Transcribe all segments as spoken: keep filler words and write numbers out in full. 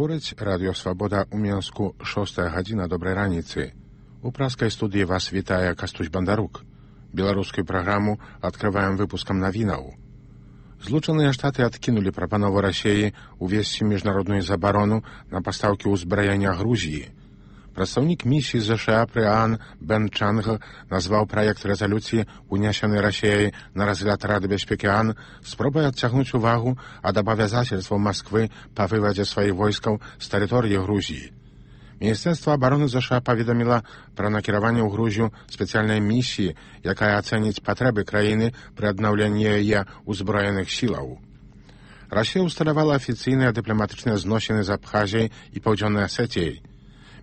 Гаворыць Радыё Свабода ў Мінску, шостая гадзіна, добрай раніцы. У праскай студыі вас вітае Кастусь Бандарук. Беларускую праграму адкрываем выпускам навінаў. Злучаныя Штаты адкінулі прапанову Расіі увесці міжнародную забарону на пастаўкі ўзбраення Грузіі. Прадстаўнік місіі ЗША пры ААН Бен Чанг назваў праект рэзалюцыі, унесены Расіяй на разгляд Рады бяспекі ААН, спробай адцягнуць увагу ад абавязацельстваў Масквы па вывадзе сваіх войскаў з тэрыторыі Грузіі. Міністэрства абароны ЗША паведаміла пра накіраванне ў Грузію спецыяльнай місіі, якая ацэніць патрэбы краіны пры аднаўленні яе ўзброеных сілаў. Расія ўсталявала афіцыйныя дыпламатычныя зносіны з Абхазіяй і Паўдзённай Асетіяй.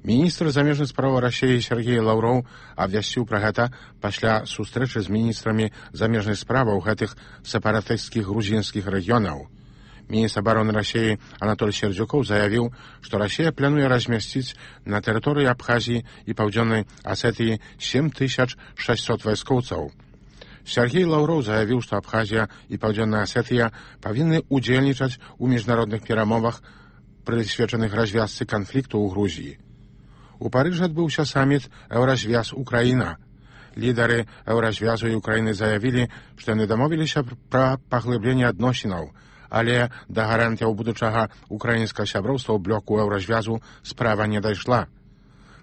Міністр замежных справаў Расіі Сергей Лаўроў абвясціў пра гэта пасля сустрэчы з міністрамі замежных справаў гэтых сепаратысцкіх грузінскіх рэгіёнаў. Міністр абароны Расіі Анатоль Сердзюкоў заявіў, што Расія плануе размясціць на тэрыторыі Абхазіі і Паўдзённай Асетыі сем тысяч шэсцьсот вайскоўцаў. Сергей Лаўроў заявіў, што Абхазія і Паўдзённая Асетыя павінны удзельнічаць у міжнародных перамовах, прысвечаных развязцы канфлікту ў Грузіі. У Парыжы адбыўся саміт «Еўразвяз-Украіна». Лідары Еўразвязу і Украіны заявілі, што яны дамовіліся пра паглыбленне адносінаў, але да гарантыяў будучага украінскага сяброўства ў блоку Еўразвязу справа не дайшла.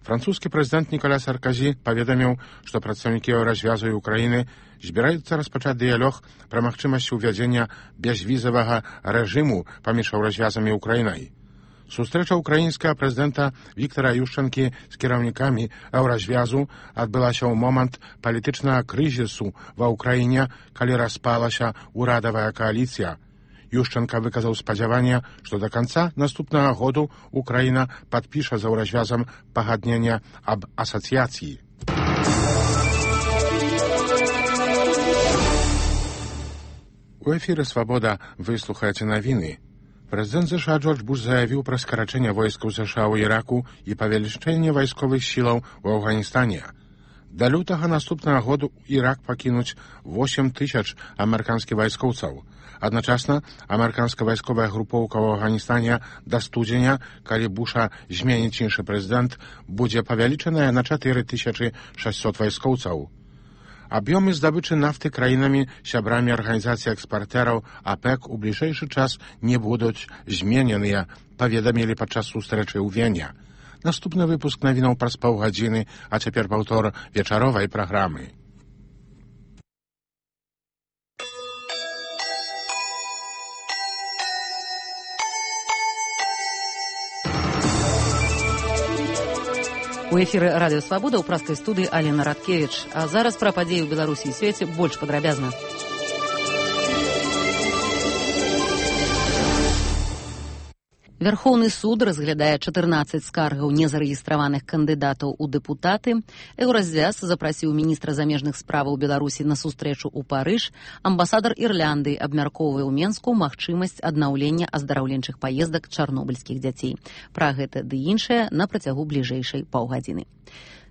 Французскі прэзідэнт Ніколя Сарказі паведаміў, што прадстаўнікі Еўразвязу і Украіны збіраюцца распачаць дыялог пра магчымасць увядзення безвізавага рэжыму паміж Еўразвязам і Украінай. Сустрэча украінскага прэзідэнта Віктара Ющэнкі з кіраўнікамі Еўразвязу адбылася ў момант палітычнага крызісу ва ўкраіне, калі распалася ўрадавая кааліцыя. Ющэнка выказаў спадзяванне, што да канца наступнага году Украіна падпіша з Еўразвязам пагадненне аб асацыяцыі. У эфіры «Свабода» выслухаеце навіны. Прэзідэнт ЗША Джордж Буш заявіў пра скарачэнне войскаў ЗША ў Іраку і павелічэнне вайсковых сілаў у Афганістане. Да лютага наступнага году Ірак пакінуць восем тысяч амерыканскіх вайскоўцаў. Адначасна, амерыканская вайсковая групоўка ў Афганістане да студзеня, калі Буша зменіць іншы прэзідэнт, будзе павялічаная на чатыры тысячы шэсцьсот вайскоўцаў. Аб'ёмы здабычы нафты краінамі, сябрамі арганізацыі экспартэраў АПЭК у бліжэйшы час не будуць змененыя, паведамілі падчас сустрэчы ў Вене. Наступны выпуск навінаў праз паўгадзіны, а цяпер паўтор вечаровай праграмы. У эфіры Радыё Свабода ў праскай студыі Алена Радкевіч. А зараз пра падзеі ў Беларусі і свеце больш падрабязна. Вярхоўны суд разглядае чатырнаццаць скаргаў незарэгістраваных кандыдатаў у дэпутаты. Еўразвяз запрасіў міністра замежных справаў Беларусі на сустрэчу ў Парыж. Амбасадар Ірландыі абмяркоўвае ў Менску магчымасць аднаўлення аздараўленчых паездак чарнобыльскіх дзяцей. Пра гэта ды іншае на працягу бліжэйшай паўгадзіны.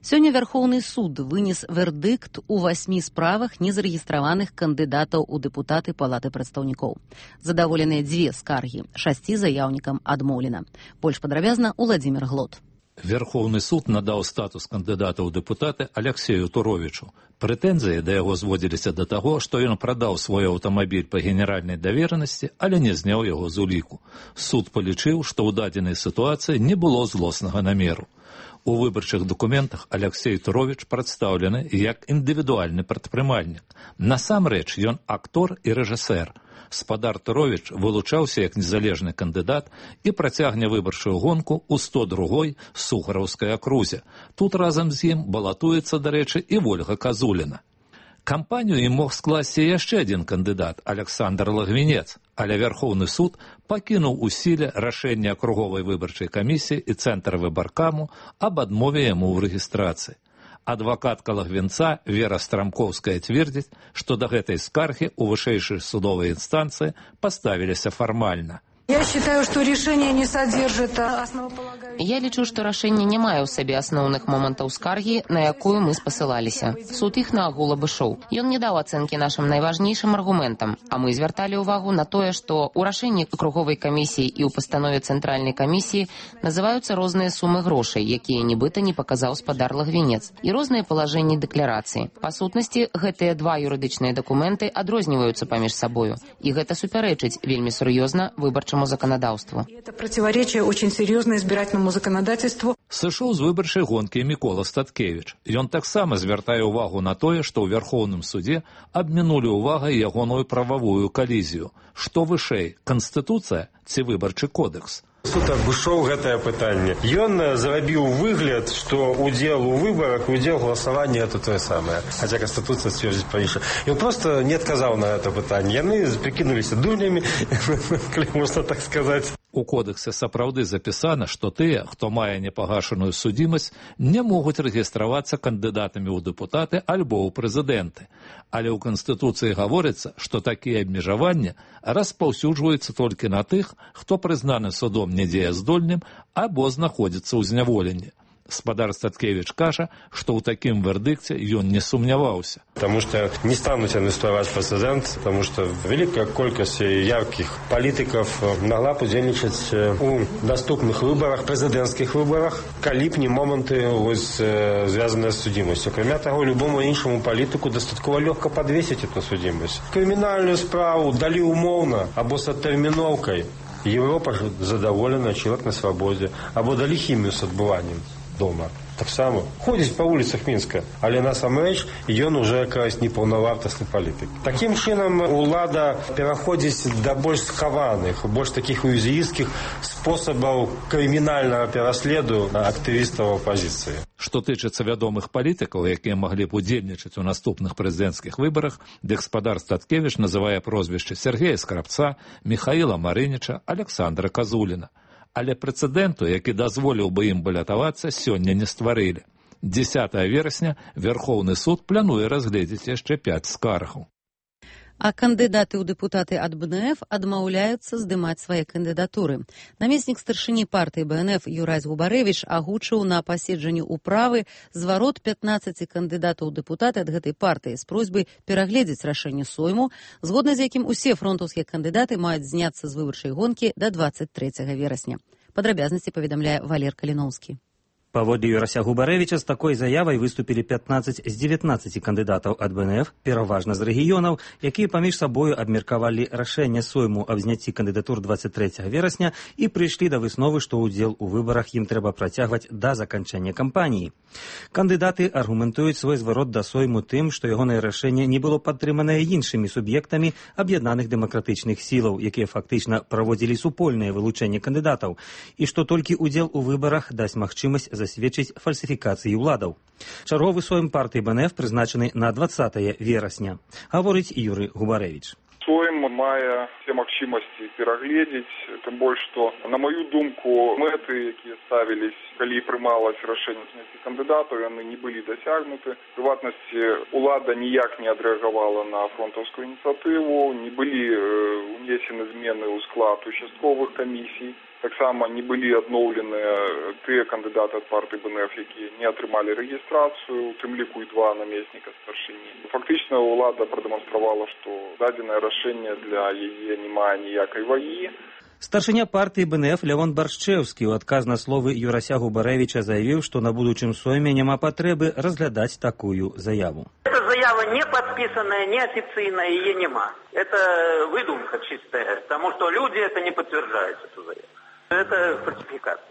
Сёння Вярхоўны суд вынес вердыкт у васьмі справах незарэгістраваных кандыдатаў у дэпутаты Палаты прадстаўнікоў. Задаволеныя дзве скаргі, шасці заяўнікам адмоўлена. Больш падрабязна Уладзімір Глот. Верховны суд надаў статус кандыдата ў дэпутаты Аляксею Туровічу. Прэтэнзіі да яго зводзіліся да таго, што ён прадаў свой аўтамабіль па генеральнай даверанасці, але не зняў яго з уліку. Суд палічыў, што ў дадзенай сітуацыі не было злоснага намеру. У выбарчых дакументах Аляксей Туровіч прадстаўлены як індывідуальны прадпрымальнік. Насамрэч ён актор і рэжысэр. Спадар Туровіч вылучаўся як незалежны кандыдат і працягне выбарчую гонку ў сто другой Сухараўскай акрузе. Тут разам з ім балатуецца, дарэчы, і Вольга Казуліна. Кампанію ім мог скласці яшчэ адзін кандыдат, Аляксандр Лагвінец, але Вярхоўны суд пакінуў у сіле рашэнне акруговай выбарчай камісіі і цэнтра выбаркаму аб адмове яму ў рэгістрацыі. Адвакатка Лагвінца Вера Страмкоўская цвердзіць, што да гэтай скаргі ў вышэйшай судовай інстанцыі паставіліся фармальна. Я считаю, что решение не содержит основополагающих... Я лічу, што рашэнне не мае ў сабе асноўных момантаў скаргі, на якую мы спасылаліся. Суд іх наогул абышоў. Ён не даў ацэнкі нашым найважнейшым аргументам, а мы звярталі ўвагу на тое, што ў рашэнні круговай камісіі і ў пастанове цэнтральнай камісіі называюцца розныя сумы грошай, якія нібыта не паказаў спадар Лагвінец, і розныя палажэнні дэкларацыі. Па сутнасці, гэтыя два юрыдычныя дакументы адрозніваюцца паміж сабою, і гэта супярэчыць вельмі сур'ёзна выбарчаму законодаўству. Это противоречие очень серьезно избирательному законодательству. Сышоў з выбарчай гонкі Мікола Статкевіч. Ён таксама звяртае ўвагу на тое, што ў Вярхоўным судзе абмінулі ўвагай ягоную прававую калізію. Што вышэй, Канстытуцыя ці выбарчы кодекс? Суд абышоў гэтае пытанне. Ён зрабіў выгляд, што удзел у выбарах і удзел галасавання это тое самае. Хаця Канстытуцыя сцверджаць па-іншаму. Ён проста не адказаў на гэта пытанне. Яны прыкінуліся дурнямі, калі можна так сказаць. У кодексе сапраўды запісана, што тыя, хто мае непагашаную судзімасць, не могуць рэгістравацца кандыдатамі ў дэпутаты альбо ў прэзідэнты. Але ў Канстытуцыі гаворыцца, што такія абмежаванні распаўсюджваюцца толькі на тых, хто прызнаны судом недзеяздольным або знаходзіцца ў зняволенні. Спадар Статкевіч кажа, што ў такім вердыкце ён не сумняваўся. Потому что не станут они устраивать прецедент, потому что великая колькость ярких политиков могла бы удзельничать у доступных выборах, президентских выборах, калі б не моменты связанные с судимостью. Кроме того, любому іншому политику достатково легко подвесить эту судимость. Криминальную справу дали умовно, або с оттерминовкой. Европа задоволена, человек на свободе, або дали химию с отбыванием дома. Так само ходзіць па вуліцах Мінска, але насамрэч ён уже якраз непаўнавартасны палітык. Такім чынам улада пераходзіць да больш схаваных, больш такіх уязвімых спосабаў крымінальнага пераследу актывістаў апазіцыі. Што тычыцца вядомых палітыкаў, якія маглі б удзельнічаць у наступных прэзідэнцкіх выбарах, дык спадар Статкевіч называе прозвішчы Сергея Скрабца, Міхаіла Марыніча, Александра Казуліна. Але прэцэдэнту, які дазволіў бы ім балятавацца, сёння не стварылі. дзесятага верасня Верхоўны суд плануе разгледзець яшчэ пяць скаргаў. А кандыдаты ў дэпутаты ад бэ эн эф адмаўляюцца здымаць свае кандыдатуры. Намеснік старшыні партыі бэ эн эф Юрась Губарэвіч агучыў на паседжанні ўправы зварот пятнаццаці кандыдатаў у дэпутаты ад гэтай партыі з просьбай перагледзець рашэнне Сойму, згодна з якім усе фронтаўскія кандыдаты маюць зняцца з выбарчай гонкі да дваццаць трэцяга верасня. Падрабязнасці паведамляе Валер Каліноўскі. Паводле Юрася Губарэвіча з такой заявай выступілі пятнаццаць з дзевятнаццаці кандыдатаў ад бэ эн эф, пераважна з рэгіёнаў, якія паміж сабою абмеркавалі рашэнне Сойму аб зняцці кандыдатур дваццаць трэцяга верасня і прыйшлі да высновы, што ўдзел у выбарах ім трэба працягваць да заканчэння кампаніі. Кандыдаты аргументуюць свой зварот да Сойму тым, што ягонае рашэнне не было падтрыманае іншымі суб'ектамі аб'яднаных дэмакратычных сілаў, якія фактычна праводзілі супольнае вылучэнне кандыдатаў, і што толькі ўдзел у выбарах дасць магчымасць засведчыць фальсіфікацыі ўладаў. Чарговы Сойм партыі бэ эн эф прызначаны на дваццатае верасня, гаворыць Юрый Губарэвіч. Сойм мае все магчымасці перагледзець, тым больш, што, на маю думку, мэты, якія ставілись, калі прымалось рашэнне зняцці кандыдатаў, яны не былі дасягнуты. В прыватнасці, улада ніяк не адрэагавала на фронтаўскую ініцыятыву, не былі унесены змены ў склад участковых камісій. Таксама не былі адноўленыя тыя кандыдаты ад партыі бэ эн эф, якія не атрымалі рэгістрацыю, у тым ліку і два намесніка старшыні. Фактычна ўлада прадэманстравала, што дадзенае рашэнне для яе не мае ніякай вагі. Старшыня партыі бэ эн эф Лявон Баршчэўскі ў адказ на словы Юрася Губарэвіча заявіў, што на будучым Сойме няма патрэбы разглядаць такую заяву. Эта заява не подписанная, не официальная, ее нема. Это выдумка чистая, потому что люди это не подтверждают, эту заяву. Это фальсификация.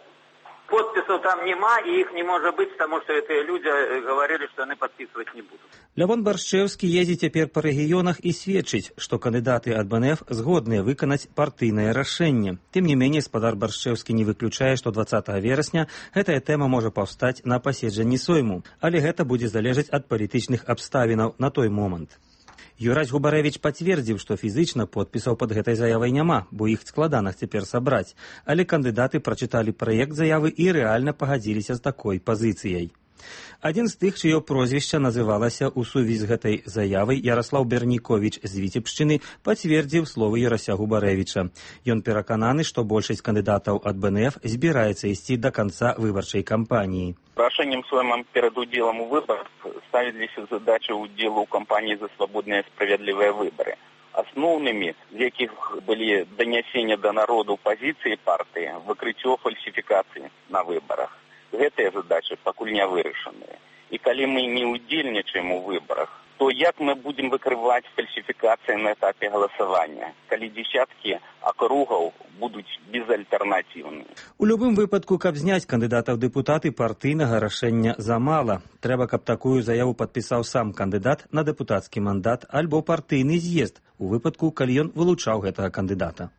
Подписов там нема, и их не может быть, потому что эти люди говорили, что они подписывать не будут. Лявон Баршчэўскі ездзіць цяпер па рэгіёнах і сведчыць, што кандыдаты ад бэ эн эф згодныя выканаць партыйнае рашэнне. Тым не меней, спадар Баршчэўскі не выключае, што дваццатага верасня гэтая тэма можа паўстаць на паседжанні Сойму, але гэта будзе залежаць ад палітычных абставінаў на той момант. Юрась Губарэвіч пацвердзіў, што фізычна подпісаў пад гэтай заявай няма, бо іх складана цяпер сабраць, але кандыдаты прачыталі праект заявы і рэальна пагадзіліся з такой пазіцыяй. Адзін з тых, чыё прозвішча называлася ў сувязі з гэтай заявай, Ярослаў Берніковіч з Віцебшчыны, пацвердзіў словы Ярася Губарэвіча. Ён перакананы, што большасць кандыдатаў ад бэ эн эф збіраецца ісці да канца выбарчай кампаніі. Рашением своим перед уделом у выборов ставились задачи удела у кампании за свободные и справедливые выборы. Основными, з яких были донесения до народу позиции партии, выкрытие фальсификации на выборах. Гэтыя задачи пакуль не вырашеныя. И коли мы не удельничаем у выборах, то як мы будем выкрывать фальсификации на этапе голосования, коли десятки округов будут безальтернативны. У любым выпадку, каб зняць кандыдата ў дэпутаты, партыйнага рашэння замала. Трэба, каб такую заяву падпісаў сам кандыдат на дэпутацкі мандат альбо партыйны з'езд, у выпадку, калі ён вылучаў гэтага кандыдата.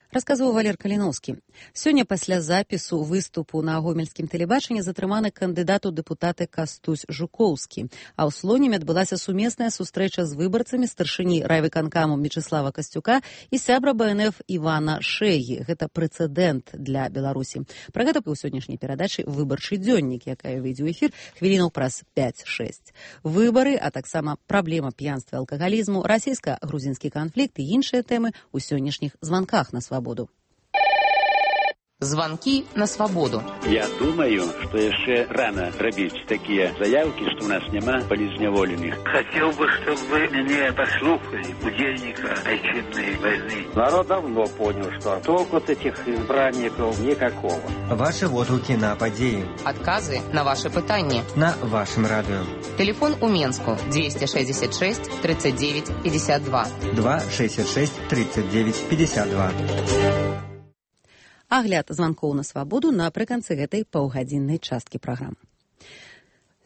Расказваў Валер Каліноўскі. Сёння пасля запісу выступу на гомельскім тэлебачанні затрыманы кандыдат у дэпутаты Кастусь Жукоўскі. А ў Слонеме адбылася сумесная сустрэча з выбарцамі старшыні райвыканкаму Мечыслава Касцюка і сябра бэ эн эф Івана Шэгі. Гэта прэцэдэнт для Беларусі. Пра гэта ў сённяшняй перадачы «Выбарчы дзённік», якая выйдзе ў эфір хвілінаў праз пяць-шэсць. Выбары, а таксама праблема п'янства і алкагалізму, расійска-грузінскі канфлікт і іншыя тэмы ў сённяшніх званках на свабоду. Звонки на свободу. Я думаю, что еще рано робить такие заявки, что у нас нема политзневоленных. Хотел бы, чтобы вы меня послушали, удельника отчинной войны. Народ давно понял, что толку от этих избранников никакого. Ваши отклики на подеи. Отказы на ваши пытания. На вашем радио. Телефон у Менску двести шестьдесят шесть тридцать девять пятьдесят два. два шестьдесят шесть тридцать девять пятьдесят два. Агляд званкоў на свабоду напрыканцы гэтай паўгадзіннай часткі праграмы.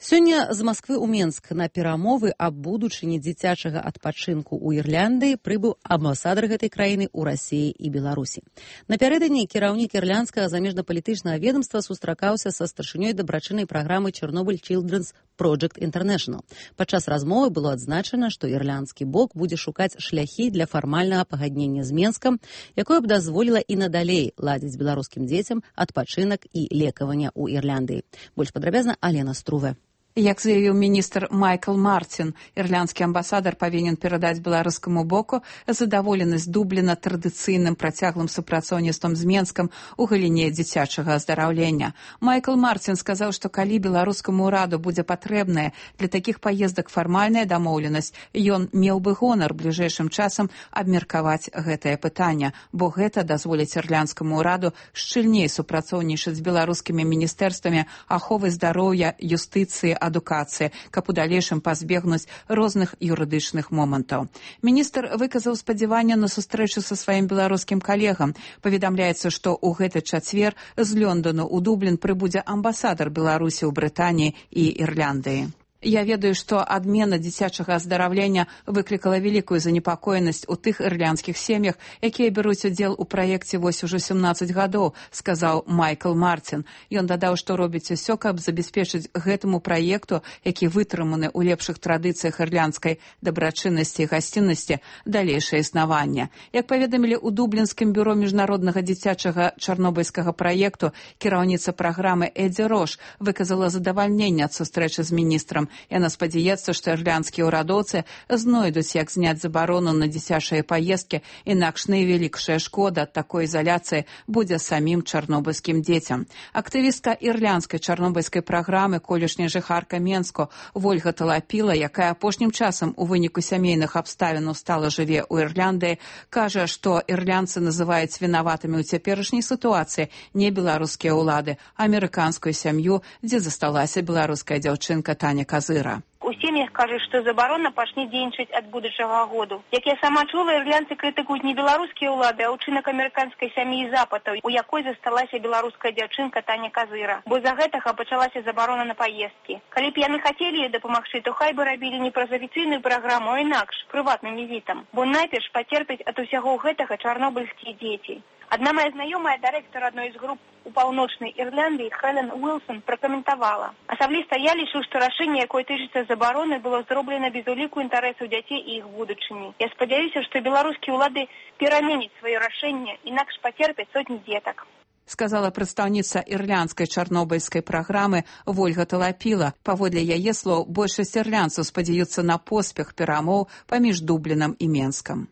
Сёння з Масквы ў Менск на перамовы аб будучыні дзіцячага адпачынку ў Ірландыі прыбыў амбасадар гэтай краіны ў Расіі і Беларусі. Напярэдадні кіраўнік ірландскага замежнапалітычнага ведамства сустракаўся са старшынёй дабрачыннай праграмы Chernobyl Children's Project International. Падчас размовы было адзначана, што ірландскі бок будзе шукаць шляхі для фармальнага пагаднення з Менскам, якое б дазволіла і надалей ладзіць беларускім дзецям адпачынак і лекаванне ў Ірландыі. Больш падрабязна Алена Струве. Як заявіў міністр Майкл Мартин, ірландскі амбасадар павінен перадаць беларускаму боку задаволенасць Дубліна традыцыйным працяглым супрацоўніцтвам з Менскам у галіне дзіцячага аздараўлення. Майкл Мартин сказаў, што калі беларускаму ўраду будзе патрэбная для такіх паездак фармальная дамоўленасць, ён меў бы гонар бліжэйшым часам абмеркаваць гэтае пытанне, бо гэта дазволіць ірландскаму ўраду шчыльней супрацоўнічаць з беларускімі міністэрствамі аховы здароўя, юстыцыі, адукацыі, каб у далейшым пазбегнуць розных юрыдычных момантаў. Міністр выказаў спадзяванне на сустрэчу са сваім беларускім калегам. Паведамляецца, што ў гэты чацвер з Лёндану ў Дублін прыбудзе амбасадар Беларусі ў Брытаніі і Ірландыі. Я ведаю, што адмена дзіцячага аздараўлення выклікала вялікую занепакоенасць у тых ірландскіх сем'ях, якія бяруць удзел у праекце вось ужо сямнаццаць гадоў, сказаў Майкл Мартин. Ён дадаў, што робіць усё, каб забяспечыць гэтаму праекту, які вытрыманы ў лепшых традыцыях ірландскай дабрачыннасці і гасціннасці, далейшае існаванне. Як паведамілі ў Дублінскім бюро міжнароднага дзіцячага чарнобыльскага праекту, кіраўніца праграмы Эдзі Рош выказала задавальненне ад сустрэчы з міністрам. Яна спадзяецца, што ірландскія ўрадоўцы знойдуць, як зняць забарону на дзіцячыя паездкі, інакш найвялікшая шкода ад такой изоляцыі будзе самім чарнобыльскім дзецям. Актывістка ірландскай чарнобыльскай праграмы, колішняя жыхарка Менску Вольга Талапіла, якая апошнім часам у выніку сямейных абставінаў стала жыве ў Ірландыі, кажа, што ірландцы называюць вінаватымі ў цяперашняй сітуацыі не беларускія ўлады, а амерыканскую сям'ю, дзе засталася беларуская дзяўчынка Таня Казыра. У сем'ях кажуць, што забарона пачне дзейнічаць ад будучага году. Як я сама чула, ірландцы крытыкуюць не беларускія ўлады, а ўчынак амерыканскай сям'і запатаў, у якой засталася беларуская дзяўчынка Таня Казыра. Бо з-за гэтага пачалася забарона на паездкі. Калі б яны хацелі ёй дапамагчы, то хай бы рабілі не праз афіцыйную праграму, а інакш, прыватным візітам. Бо найперш пацерпяць ад усяго гэтага чарнобыльскія дзеці. Одна моя знайомая, дырэктар адной з груп у паўночнай Ірландыі, Хелен Уилсон, пракаментавала. Асабліста я лічу, што рашэнне, якое тычыцца забароны, было зроблена без уліку інтарэсаў дзяцей і іх будучыні. Я спадзяюся, што беларускія ўлады пераменяць сваё рашэнне, інакш пацерпяць сотні дзетак. сказала прадстаўніца ірландскай чарнобыльскай праграмы Вольга Талапіла. Паводле яе слоў, большасць ірландцаў спадзяюцца на поспех перамоў паміж Дублінам і Менскам.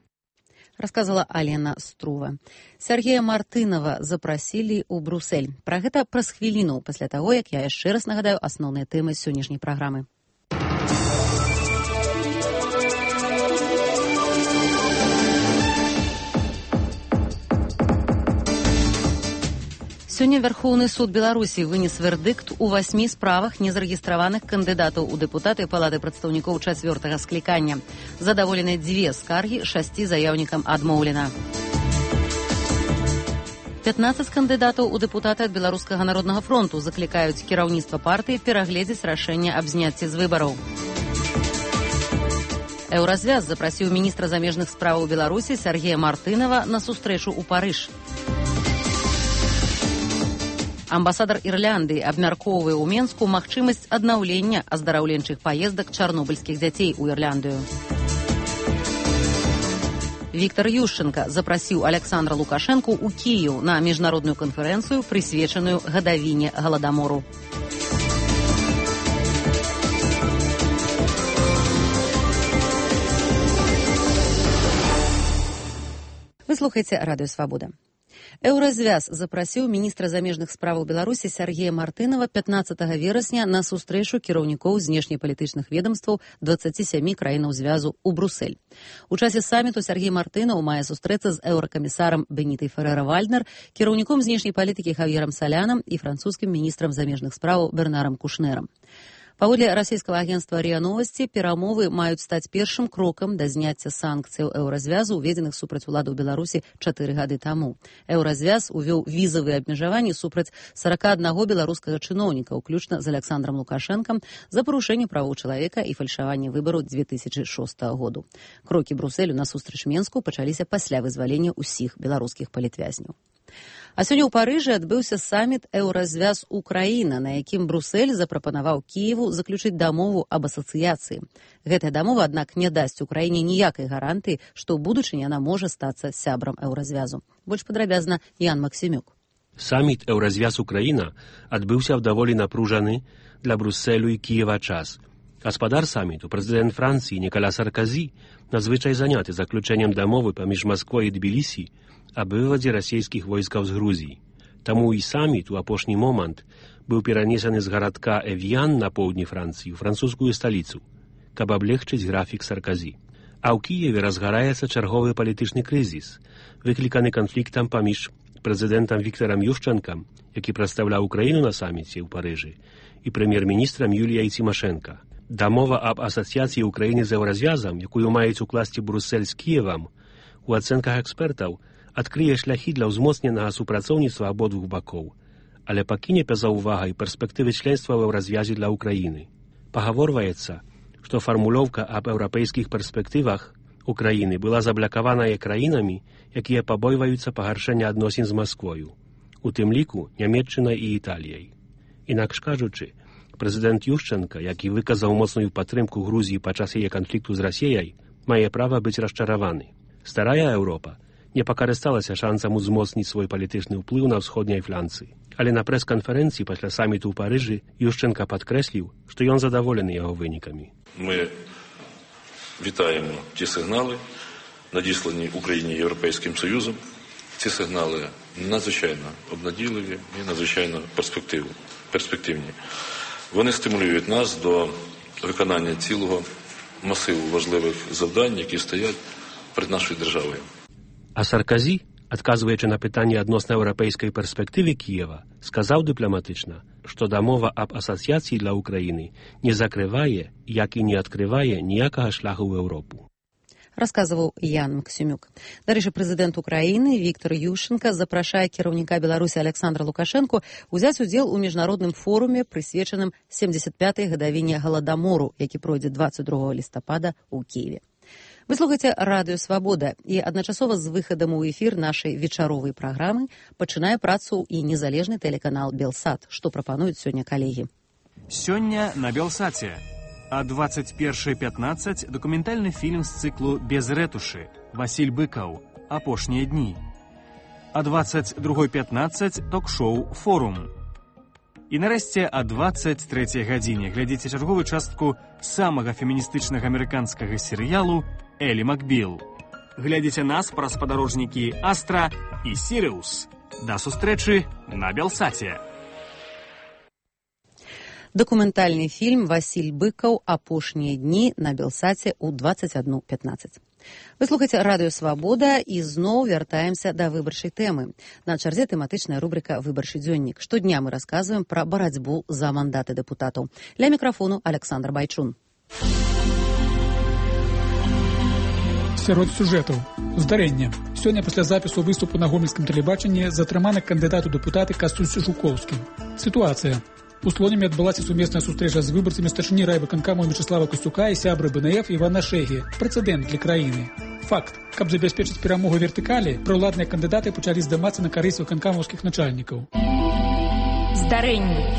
Рассказала Алена Струва. Сергея Мартынова запрасілі ў Брусэль. Пра гэта праз хвіліну пасля таго, як я яшчэ раз нагадаю асноўныя тэмы сённяшняй праграмы. Сёння Верховны суд Беларусі вынес вердыкт у васьмі справах незарэгістраваных кандыдатаў у дэпутаты Палаты прадстаўнікоў чацвёртага склікання. Задаволены дзве скаргі, шасці заяўнікам адмоўлена. пятнаццаць кандыдатаў у дэпутаты ад Беларускага народнага фронту заклікаюць кіраўніцтва партыі перагледзець рашэнне аб зняцці з выбараў. Еўразвяз запрасіў міністра замежных справаў Беларусі Сергея Мартынова на сустрэчу ў Парыж. Амбасадар Ірландыі абмяркоўвае ў Менску магчымасць аднаўлення аздараўленчых паездак чарнобыльскіх дзяцей у Ірландыю. Віктор Ющенка запрасіў Александра Лукашэнку ў Кіеў на міжнародную канферэнцыю, прысвечаную гадавіне галадамору. Вы слухаеце Радыё Свабода. Еўразвяз запрасіў міністра замежных справаў Беларусі Сергея Мартынова пятнаццатага верасня на сустрэчу кіраўнікоў знешнепалітычных ведамстваў дваццаці сямі краінаў звязу ў Брусэль. У часе саміту Сергей Мартынаў мае сустрэцца з еўракамісарам Бенітай Феррэра-Вальднер, кіраўніком знешняй палітыкі Хавьерам Салянам і французскім міністрам замежных справаў Бернарам Кушнерам. Паводле расійскага агенцтва РИА Новости, перамовы маюць стаць першым крокам да зняцця санкцыяў еўразвязу, уведзеных супраць уладаў Беларусі чатыры гады таму. Еўразвяз увёў візавыя абмежаванні супраць сарака аднаго беларускага чыноўніка, уключна з Александром Лукашэнкам, за парушэнне правоў чалавека і фальшаванне выбараў дзве тысячы шостага году. Крокі Брусэлю насустрач Менску пачаліся пасля вызвалення ўсіх беларускіх палітвязняў. А сёння ў Парыжы адбыўся саміт «Еўразвяз Украіна», на якім Брусэль запрапанаваў Кіеву заключыць дамову аб асацыяцыі. Гэтая дамова, аднак, не дасць Украіне ніякай гарантыі, што ў будучыні яна можа стацца сябрам Еўразвязу. Больш падрабязна Ян Максімюк. Саміт «Еўразвяз Украіна» адбыўся ў даволі напружаны для Брусэлю і Кіева час. Гаспадар саміту, прэзідэнт Францыі Ніколя Сарказі, надзвычай заняты заключэннем дамовы паміж Масквой і Тбілісі аб вывадзе расійскіх войскаў з Грузіі. Таму і саміт у апошні момант быў перанесены з гарадка Эвьян на поўдні Францыі ў французскую сталіцу, каб аблегчыць графік Сарказі. А ў Кіеве разгараецца чарговы палітычны крызіс, выкліканы канфліктам паміж прэзідэнтам Віктарам Ющэнкам, які прадстаўляў Украіну на саміце ў Парыжы, і прэм'ер-міністрам Юліяй Цімашэнка. Дамова аб асацыяцыі Украіны з еўразвязам, якую маюць укласці Брусель з Кіевам, у ацэнках экспертаў адкрые шляхі для ўзмоцненага супрацоўніцтва абодвух бакоў, але пакіне па-за ўвагай перспектывы членства ў еўразвязе для Украіны. Пагаворваецца, што фармулёўка аб еўрапейскіх перспектывах Украіны была заблакаваная краінамі, якія пабойваюцца пагаршэння адносін з Масквою, у тым ліку Нямецчынай і Італіяй. Інакш кажучы, прэзідэнт Ющэнка, які выказаў моцную падтрымку Грузіі падчас яе канфлікту з Расіяй, мае права быць расчараваны. Старая Еўропа не пакарысталася шансам узмоцніць свой палітычны ўплыў на ўсходняй фланцы. Але на прэс-канферэнцыі пасля саміту ў Парыжы Ющэнка падкрэсліў, што ён задаволены яго вынікамі. Ми вітаємо ті сигнали, надіслані Україні Європейським Союзом. Ці сигнали надзвичайно обнадійливі і надзвичайно перспективні. Вони стимулюють нас до виконання цілого масиву важливих завдань, які стоять перед нашою державою. А Сарказі, адказваючы на пытанне адносна еўрапейскай перспектывы Кіева, сказаў дыпламатычна, што дамова аб асацыяцыі для Украіны не закрывае, як і не адкрывае ніякага шляху ў Еўропу. Расказваў Ян Максімюк. Дарэчы, прэзідэнт Украіны Віктор Ющенка запрашае кіраўніка Беларусі Александра Лукашэнку узяць удзел у міжнародным форуме, прысвечаным семдзесят пятай гадавіне галадамору, які пройдзе дваццаць другога лістапада ў Кіеве. Вы слухаеце Радыё Свабода, і адначасова з выхадам у эфір нашай вечаровай праграмы пачынае працу і незалежны тэлеканал Белсат, што прапануюць сёння калегі. Сёння на Белсаце. А двадцать першая пятнадцать дакументальны фільм з цыклу «Без рэтушы» Васіль Быкаў «Апошнія дні». а двадцать другой пятнадцать ток-шоу «Форум». І нарэшце о двадцать трэцяй гадзіне глядзіце чарговую частку самага феміністычнага амерыканскага серыялу «Элі Макбіл». Глядзіце нас праз спадарожнікі «Астра» і «Сіриус». Да сустрэчы на Белсаце. Дакументальны фільм «Васіль Быкаў. Апошнія дні» на Белсаце ў двадцать одна пятнадцать. Вы слухаеце радыё «Свабода» і зноў вяртаемся да выбарчай тэмы. На чарзе тэматычная рубрика «Выбарчы дзённік». Штодня мы расказваем пра барацьбу за мандаты дэпутатаў. Ля мікрафону Александр Байчун. Сярод сюжэтаў. Здарэнне. Сёння пасля запісу выступу на гомельскім тэлебачанні затрыманы кандыдат у дэпутаты Кастусь Жукоўскі. Сітуацыя. У Слонімі адбылася сумесная сустрэча з выбарцамі старшыні райвыканкаму Мячеслава Костюка і сябры БНФ Івана Шэгі. Прэцэдэнт для краіны. Факт. Каб забяспечыць перамогу вертыкалі, праўладныя кандыдаты пачалі здымацца на карысць выканкамаўскіх начальнікаў. Здарэнне.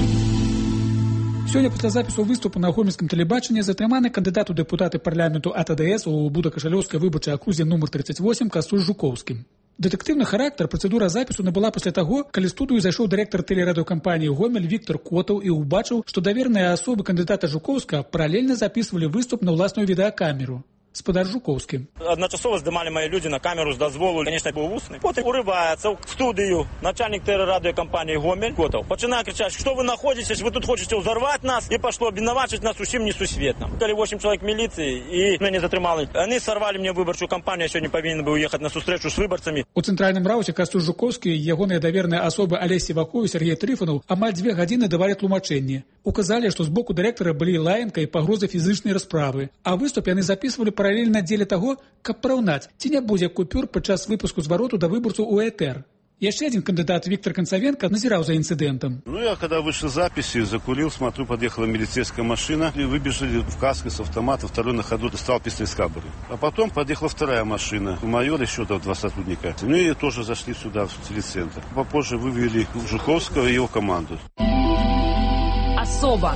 Сёння пасля запісу выступу на гомельскім тэлебачанні затрыманы кандыдат у дэпутаты парламенту АТДС у Будакашалёўскай выбарчай акрузе нумар тридцать восемь Кастусь Жукоўскі. Дэтэктыўны характар працэдура запісу набыла пасля таго, калі студыю зайшоў дырэктар тэлерадыёкампаніі «Гомель» Віктор Котаў і ўбачыў, што даверныя асобы кандыдата Жукоўска паралельна запісвалі выступ на ўласную відэакамеру. Спадар Жукоўскі. Адначасова здымалі мае людзі на камеру з дазволу, конечно, быў вусны. Потым урываецца ў студыю начальнік тэлерадыёкампаніі «Гомель» Котаў. Пачынае крычаць, што вы находзіцесь, вы тут хочаце ўзарваць нас, і пашло абвінавачваць нас усім несусветна. Калі восемь чалавек міліцыі і мяне затрымалі. Яны сарвалі мне выбарчую кампанію, я сёння павінен быў ехаць на сустрэчу з выбарцамі. У цэнтральным рауце Кастусь Жукоўскі і ягоныя даверныя асобы Алесь Сівакоў і Сергей Трыфанаў амаль дзве гадзіны давалі тлумачэнні. Указалі, што з боку дырэктара былі лаянка і пагрозы фізычнай расправы, а выступ яны запісвалі паралельна дзеля таго, каб параўнаць, ці не будзе купюр падчас выпуску звароту да выбарцу у этэр. Еще один кандидат, Виктор Концовенко, назирал за инцидентом. Ну, я когда вышел с записи, закурил, смотрю, подъехала милицейская машина, и выбежали в каске с автомата, второй на ходу достал пистолет с кобуры. А потом подъехала вторая машина, майор, еще там два сотрудника. Ну, и тоже зашли сюда, в телецентр. Попозже вывели Жуковского и его команду. Особо.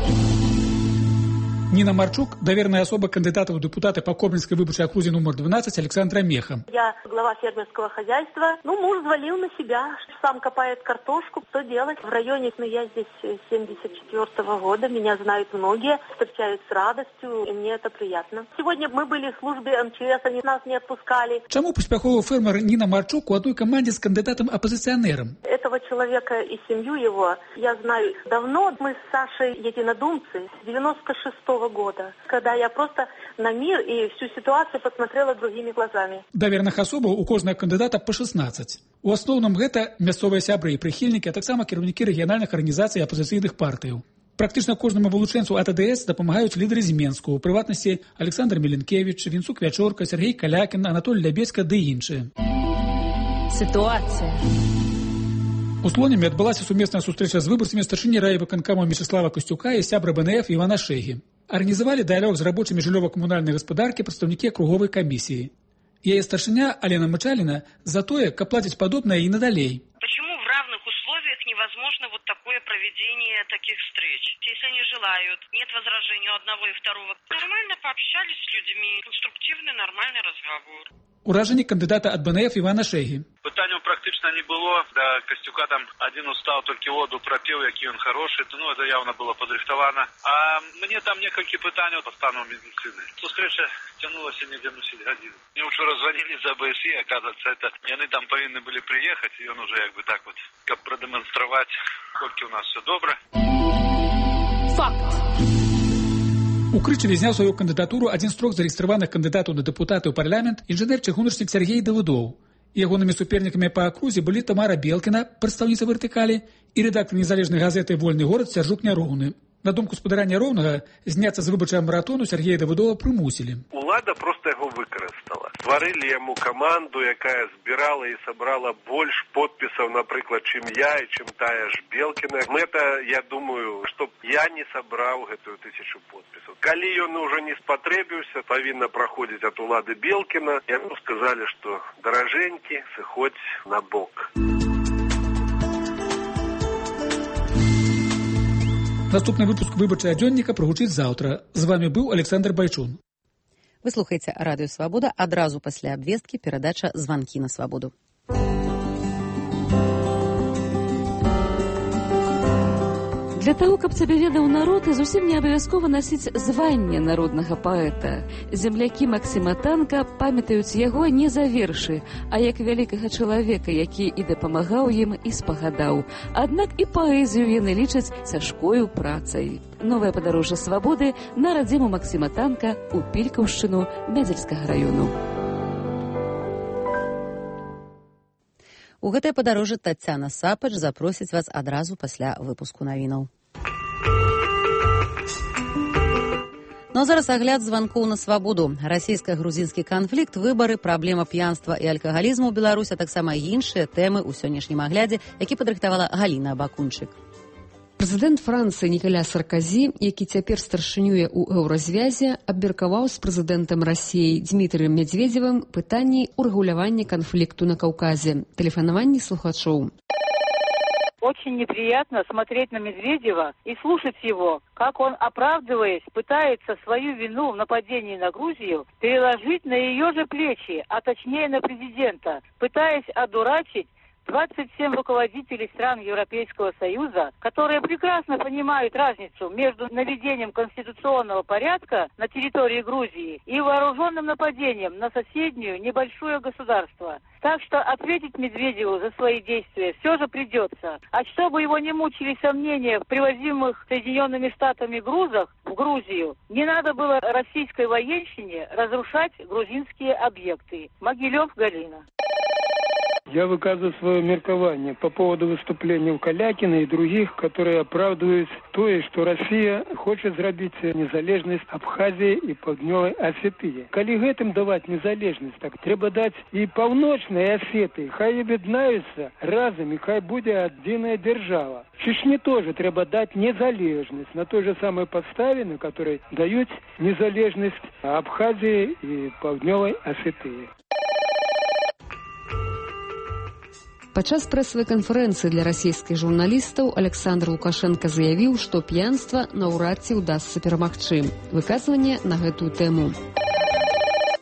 Нина Марчук, доверенная особа кандидата в депутаты по Коблинской выборчей округе номер двенадцать Александра Меха. Я глава фермерского хозяйства. Ну, муж взвалил на себя, сам копает картошку. Что делать? В районе, ну, я здесь семьдесят четвёртого года, меня знают многие, встречают с радостью, и мне это приятно. Сегодня мы были в службе эм че эс, они нас не отпускали. Чему поспеховый фермер Нина Марчук у одной команде с кандидатом-оппозиционером? Этого человека и семью его я знаю давно. Мы с Сашей единодумцы с девяносто шестого года, когда я просто на мир и всю ситуацию посмотрела другими глазами. Даверных особаў у кожнага кандыдата по шестнадцать. У асноўным гэта мясцовыя сябры і прыхільнікі, а таксама кіраўнікі рэгіянальных арганізацый і апозіцыйных партыяў. Практычна кожнаму вылучэнцу АТДС дапамагаюць лідары з Менску, у прыватнасці Александр Меленкевич, Вінцук Вячорка, Сергей Калякін, Анатолий Лябецька ды іншыя. Ситуация. У Слоніме адбылася сумесная сустрэча з выбарцамі старшыні райвыканкама Мячеслава Костюка і сябра БНФ Івана Шэгі. Арганізавалі дыялог з рабочымі жыллёва-камунальнай гаспадаркі прадстаўнікі акруговай камісіі. Яе старшыня Алена Мычаліна за тое, каб плаціць падобнае і надалей. Почему в равных условиях невозможно вот такое проведение таких встреч? Если они желают, нет возражений у одного и второго. Нормально пообщались с людьми, конструктивный, нормальный разговор. Уражанне кандидата ад БНФ Івана Шэгі. Питання практично не було. До Костюка там один устав, тільки воду пропів, який він хороший. Ну, це явно було подрихтовано. А мені там несколько питань по стану медицини. Зустріча тягнулася не десять годин. Мне вчора звонили з АБСІ, оказывается, это вони там повинні були приїхати, і він уже якби так от, як продемонструвати, скільки у нас все добре. Факт. У Крычаве зняў сваю кандыдатуру адзін з трох зарэгістраваных кандыдатаў на дэпутаты ў парламент інжынер-чыгуначнік Сергей Давыдоў. Ягонымі супернікамі па акрузе былі Тамара Белкіна, прадстаўніца вертыкалі, і рэдактар незалежнай газеты «Вольны горад» Сяржук Няроўны. На думку спадара Няроўнага, зняцца з выбарчага маратону Сергея Давыдова прымусілі. Улада просто яго выкарыстала. Стварылі яму каманду, якая збірала і сабрала больш подпісаў, напрыклад, чым я і чым тая ж Белкіна. Мэта, я думаю, што я не сабраў гэтую тысячу подпісаў. Калі ён уже не спатрэбіўся, павінна праходзіць ад улады Белкіна, яму сказалі, што даражэнькі, сыходзь на бок. Наступны выпуск выбарчага дзённіка прагучыць заўтра. З вами быў Александр Байчун. Вы слухаеце радыё «Свабода», адразу пасля абвесткі перадача «Званкі на свабоду». Для таго, каб цябе ведаў народ, зусім не абавязкова насіць званне народнага паэта. Землякі Максіма Танка памятаюць яго не за вершы, а як вялікага чалавека, які і дапамагаў ім, і спагадаў. Аднак і паэзію яны лічаць цяжкою працай. Новае падарожжа свабоды на радзіму Максіма Танка ў Пількаўшчыну Мядзельскага раёну. У гэтае падарожжа Таццяна Сапач запросіць вас адразу пасля выпуску навінаў. Ну а зараз агляд званкоў на свабоду. Расійска-грузінскі канфлікт, выбары, праблема п'янства і алкагалізму ў Беларусі, а таксама іншыя тэмы ў сённяшнім аглядзе, які падрыхтавала Галіна Абакунчык. Прэзідэнт Францыі Нікаля Сарказі, які цяпер старшынюе ў еўразвязе, абмеркаваў з прэзідэнтам Расіі Дмітрыем Медведзевым пытанні урэгулявання канфлікту на Каўказе. Тэлефанаванне слухачоў. Очень неприятно смотреть на Медведева и слушать его, как он, оправдываясь, пытается свою вину в нападении на Грузию переложить на ее же плечи, а точнее на президента, пытаясь одурачить двадцать семь руководителей стран Европейского Союза, которые прекрасно понимают разницу между наведением конституционного порядка на территории Грузии и вооруженным нападением на соседнюю небольшое государство. Так что ответить Медведеву за свои действия все же придется. А чтобы его не мучили сомнения в привозимых Соединенными Штатами грузах в Грузию, не надо было российской военщине разрушать грузинские объекты. Могилев, Галина. Я выказываю свое меркование по поводу выступления у Калякина и других, которые оправдывают то, что Россия хочет сделать незалежность Абхазии и Паўднёвай Осетии. Коли гэтым давать незалежность, так треба дать и Паўночной Осетии. Хай объединяются разом, и хай будет одиная держава. Чечне тоже треба дать незалежность на той же самой подставе, на которой дают незалежность Абхазии и Паўднёвай Осетии. Падчас прэсавай канферэнцыі для расійскіх журналістаў Александр Лукашенко заявіў, што п'янства наўрад ці ўдасца перамагчы. Выказванне на гэтую тэму.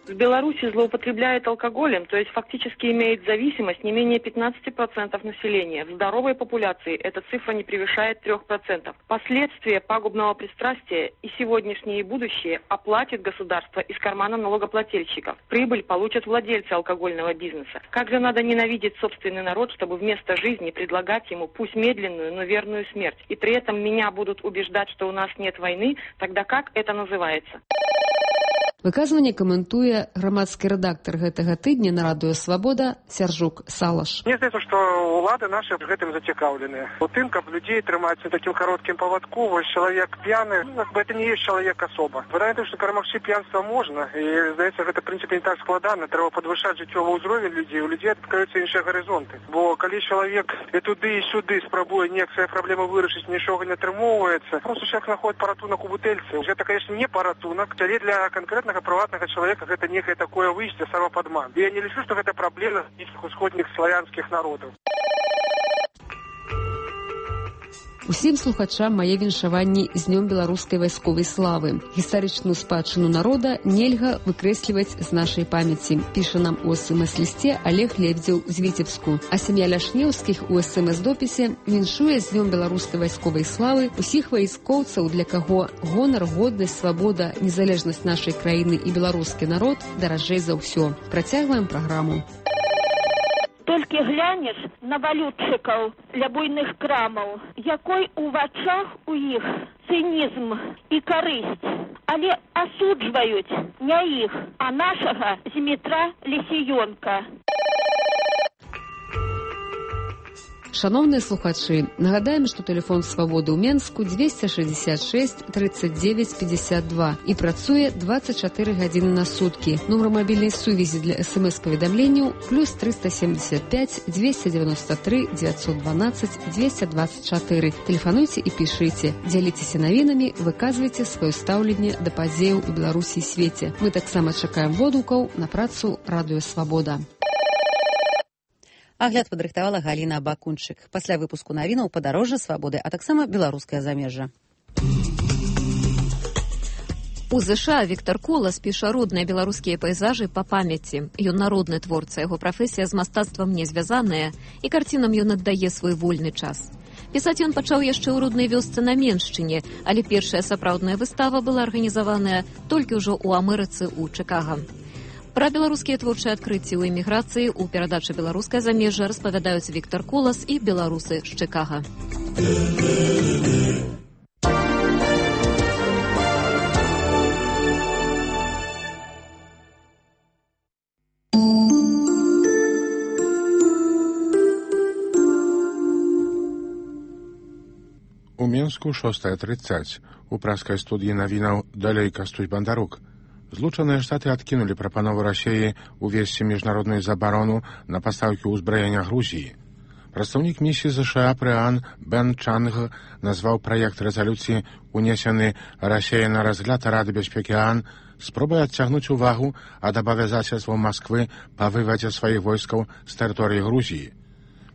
В Беларуси злоупотребляет алкоголем, то есть фактически имеет зависимость не менее пятнадцати процентов населения. В здоровой популяции эта цифра не превышает трёх процентов. Последствия пагубного пристрастия и сегодняшнее, и будущее оплатит государство из кармана налогоплательщиков. Прибыль получат владельцы алкогольного бизнеса. Как же надо ненавидеть собственный народ, чтобы вместо жизни предлагать ему пусть медленную, но верную смерть. И при этом меня будут убеждать, что у нас нет войны, тогда как это называется? Выказванне каментуе грамадскі рэдактар гэтага тыдня на радыё «Свабода» Сяржук Салаш. Мне здаецца, што ўлады нашы гэтым зацікаўлены. У тым, каб людзей трымаць на такім кароткім павадку, вось чалавек п'яны, ну, это не есть чалавек асоба. Выдаю, што перамагчы п'янства можна, і, здаецца, гэта, в прынцыпе, не так складана. Трэба падвышаць жыццёвы ўзровень людзей, у людзей адкрыюцца іншыя гарызонты. Бо калі чалавек і туды, і сюды спрабуе неяк свае праблемы вырашыць, нічога не атрымоўваецца, просто чалавек знаходзіць паратунак у бутэльцы. Гэта, конечно, не паратунак, але для канкрэтнага прыватнага чалавека гэта некае такое выйсце, самападман. Я не лічу, што гэта праблема усходніх славянскіх народаў. Усім слухачам мае віншаванні з Днём беларускай вайсковай славы. Гістарычную спадчыну народа нельга выкрэсліваць з нашай памяці, піша нам у эс эм эс-лісце Олег Лебедзеў з Віцебску. А сям'я Ляшнеўскіх у эс эм эс-допісе віншуе з Днём беларускай вайсковай славы усіх вайскоўцаў, для каго гонар, годнасць, свабода, незалежнасць нашай краіны і беларускі народ даражэй за ўсё. Працягваем праграму. Толькі глянеш на валютчыкаў ля буйных крамаў, якой у вачах у іх цынізм і карысць. Але асуджваюць не іх, а нашага Змітра Лісіёнка. Шановныя слухачы, нагадаем, што тэлефон свабоды ў Менску дзвесце шэсцьдзесят шэсць трыццаць дзевяць пятьдесят два і працуе двадцать чатыры гадзіны на суткі. Нумар мабільнай сувязі для эс эм эс-паведамленняў плюс триста семьдесят пять двести девяносто три девятьсот двенадцать двести двадцать четыре. Тэлефануйце і пішыце, дзяліцеся навінамі, выказвайце сваё стаўленне да падзеяў у Беларусі і свеце. Мы таксама чакаем водгукаў на працу радыё «Свабода». Агляд падрыхтавала Галіна Абакунчык. Пасля выпуску навінаў падарожжа свабоды, а таксама беларускае замежжа. У ЗША Віктор Колас піша родныя беларускія пейзажы па памяці. Ён народны творца, яго прафесія з мастацтвам не звязаная, і карцінам ён аддае свой вольны час. Пісаць ён пачаў яшчэ ў роднай вёсцы на Меншчыне, але першая сапраўдная выстава была арганізаваная толькі ўжо ў Амерыцы ў Чыкага. Пра беларускія творчыя адкрыцці ў эміграцыі ў перадачы «Беларускае замежжа» распавядаюць Віктар Колас і беларусы з Чыкага. У Мінску шостая тридцать. У праскай студіі навінаў далей Кастусь Бандарук. Злучаныя Штаты адкінулі прапанову Расіі увесці міжнародную забарону на пастаўкі ўзбраення Грузіі. Прадстаўнік місіі ЗША пры ААН Бен Чанг назваў праект рэзалюцыі, унесены Расіяй на разгляд Рады бяспекі ААН, спробай адцягнуць увагу ад абавязацельстваў Масквы па вывадзе сваіх войскаў з тэрыторыі Грузіі.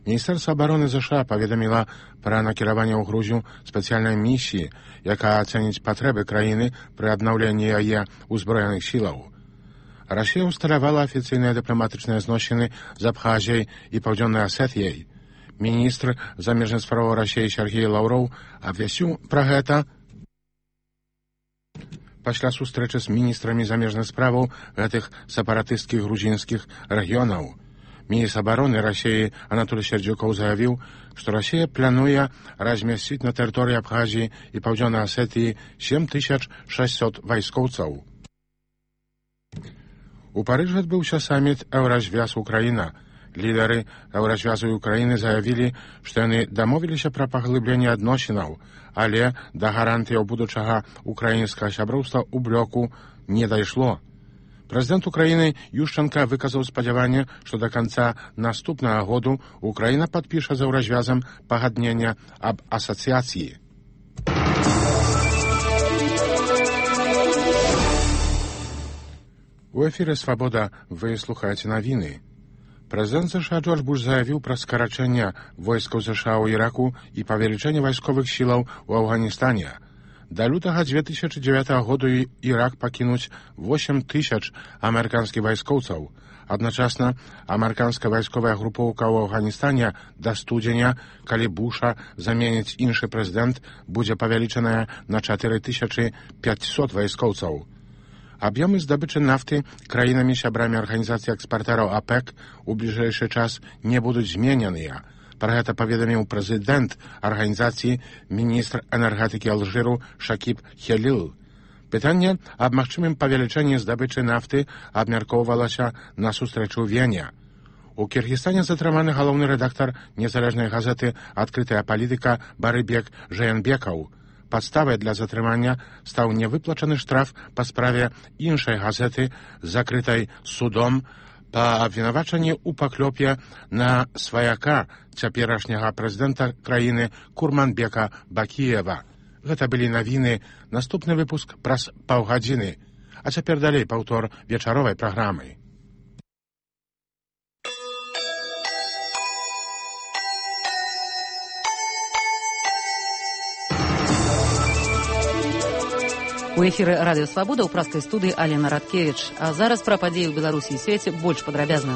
Міністэрства абароны ЗША паведаміла пра накіраванне ў Грузію спецыяльнай місіі, якая ацэніць патрэбы краіны пры аднаўленні яе ўзброеных сілаў. Расія ўсталявала афіцыйныя дыпламатычныя зносіны з Абхазіяй і Паўдзённай Асетыяй. Міністр замежных справаў Расіі Сергей Лаўроў абвясціў пра гэта пасля сустрэчы з міністрамі замежных справаў гэтых сепаратысцкіх грузінскіх рэгіёнаў. Міністр абароны Расіі Анатолій Сердзюкоў заявіў, што Расія плануе размясціць на тэрыторыі Абхазіі і Паўдзённай Асетыі сем тысяч шэсцьсот вайскоўцаў. У Парыжы адбыўся саміт Еўразвяз Украіна. Лідары Еўразвязу і Украіны заявілі, што яны дамовіліся пра паглыбленне адносінаў, але да гарантыяў будучага украінскага сяброўства ў блоку не дайшло. Прэзідэнт Украіны Ющенка выказаў спадзяванне, што да канца наступнага году Украіна падпіша з Еўразвязам пагаднення аб асацыяцыі. У эфіры «Свабода» вы слухаеце навіны. Прэзідэнт ЗША Джордж Буш заявіў пра скарачэнне войскаў ЗША ў Іраку і павелічэнне вайсковых сілаў у Афганістане. Да лютага дзве тысячы дзевятага году Ірак пакінуць восем тысяч амерыканскіх вайскоўцаў. Адначасна амерыканская вайсковая групоўка ў Афганістане да студзеня, калі Буша заменіць іншы прэзідэнт, будзе павялічаная на чатыры тысячы пяцьсот вайскоўцаў. Аб'ёмы здабычы нафты краінамі сябрамі арганізацыі экспартэраў АПЭК у бліжэйшы час не будуць змененыя. Пра гэта паведаміў прэзідэнт арганізацыі міністр энергетыкі Алжыру Шакіб Хелил. Пытанне аб магчымым павелічэнні здабычы нафты абмяркоўвалася на сустрэчу ў Вене. У Кіргізстане затрыманы галоўны рэдактар незалежнай газеты «Адкрытая палітыка» Барыбек Жээнбекаў. Падставай для затрымання стаў невыплачаны штраф па справе іншай газеты, закрытай судом, па абвінавачанні ў паклёпе на сваяка цяперашняга прэзідэнта краіны Курманбека Бакіева. Гэта былі навіны, наступны выпуск праз паўгадзіны. А цяпер далей паўтор вечаровай праграмы. У эфіры радыё «Свабода» ў праскай студыі Алена Радкевіч. А зараз пра падзеі ў Беларусі і свеце больш падрабязна.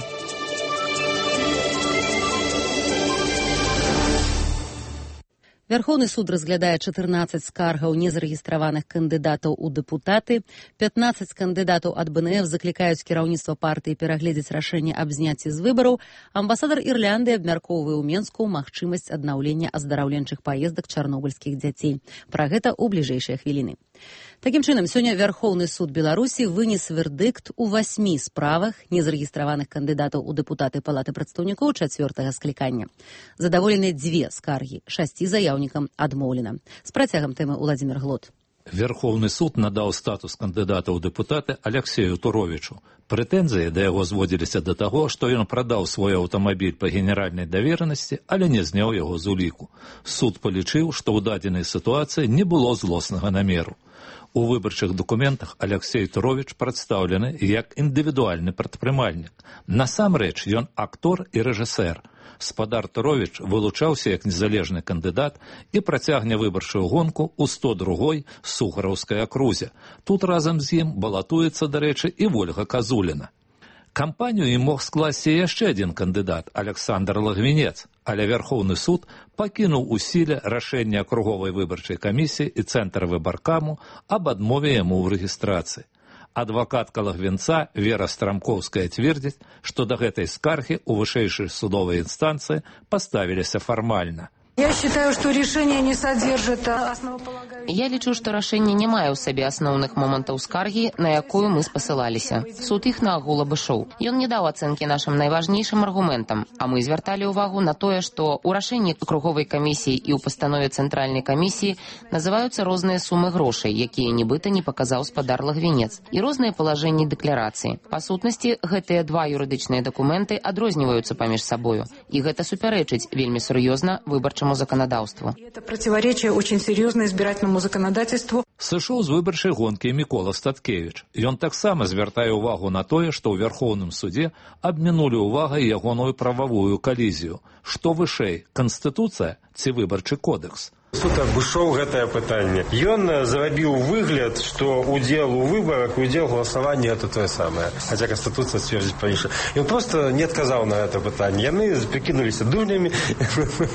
Вярхоўны суд разглядае чатырнаццаць скаргаў незарэгістраваных кандыдатаў у дэпутаты. пятнаццаць кандыдатаў ад БНФ заклікаюць кіраўніцтва партыі перагледзець рашэнне аб зняцці з выбараў. Амбасадар Ірландыі абмяркоўвае ў Менску магчымасць аднаўлення аздараўленчых паездак чарнобыльскіх дзяцей. Пра гэта ў бліжэйшыя хвіліны. Такім чынам, сёння Вярхоўны суд Беларусі вынес вердыкт у васьмі справах незарэгістраваных кандыдатаў у дэпутаты Палаты прадстаўнікоў чацвёртага склікання. Задаволены дзве скаргі, шасці заяўнікам адмоўлена. З працягам тэмы Уладзімір Глот. Верховны суд надаў статус кандыдата ў дэпутаты Аляксею Туровічу. Прэтэнзіі да яго зводзіліся да таго, што ён прадаў свой аўтамабіль па генеральнай даверанасці, але не зняў яго з уліку. Суд палічыў, што ў дадзенай сітуацыі не было злоснага намеру. У выбарчых дакументах Аляксей Туровіч прадстаўлены як індывідуальны прадпрымальнік. Насамрэч ён актор і рэжысэр. Спадар Туровіч вылучаўся як незалежны кандыдат і працягне выбарчую гонку ў сто другой Сухараўскай акрузе. Тут разам з ім балатуецца, дарэчы, і Вольга Казуліна. Кампанію ім мог скласці яшчэ адзін кандыдат Александр Лагвінец, але Верховны суд пакінуў у сіле рашэнне акруговай выбарчай камісіі і цэнтра выбаркаму аб адмове яму ў рэгістрацыі. Адвакатка Лагвінца Вера Страмкоўская цвердзіць, што да гэтай скаргі ў вышэйшай судовай інстанцыі паставіліся фармальна. Я считаю, что решение не содержит основополагающих... Я лічу, што рашэнне не мае ў сабе асноўных момантаў скаргі, на якую мы спасылаліся. Суд іх наагул абышоў. Ён не даў ацэнкі нашым найважнейшым аргументам, а мы звярталі ўвагу на тое, што ў рашэнні круговай камісіі і ў пастанове цэнтральнай камісіі называюцца розныя сумы грошай, якія нібыта не паказаў спадар Лагвінец, і розныя палажэнні дэкларацыі. Па сутнасці, гэтыя два юрыдычныя дакументы адрозніваюцца паміж сабою, і гэта супярэчыць вельмі сур'ёзна выбарчаму законодаўству. Это противоречие очень серьезно избирательному законодательству. Сышоў з выбарчай гонкі Мікола Статкевіч. Ён таксама звяртае ўвагу на тое, што ў Верхоўным судзе абмінулі ўвагай ягоную прававую калізію. Што вышэй, Канстытуцыя ці выбарчы кодекс? Суд абышоў гэтае пытанне. Ён зрабіў выгляд, што удзел у выбарах, удзел галасавання это тое самае. Хаця Канстытуцыя сцвердзіць па-іншаму. Ён проста не адказаў на гэта пытанне. Яны прыкінуліся дурнямі,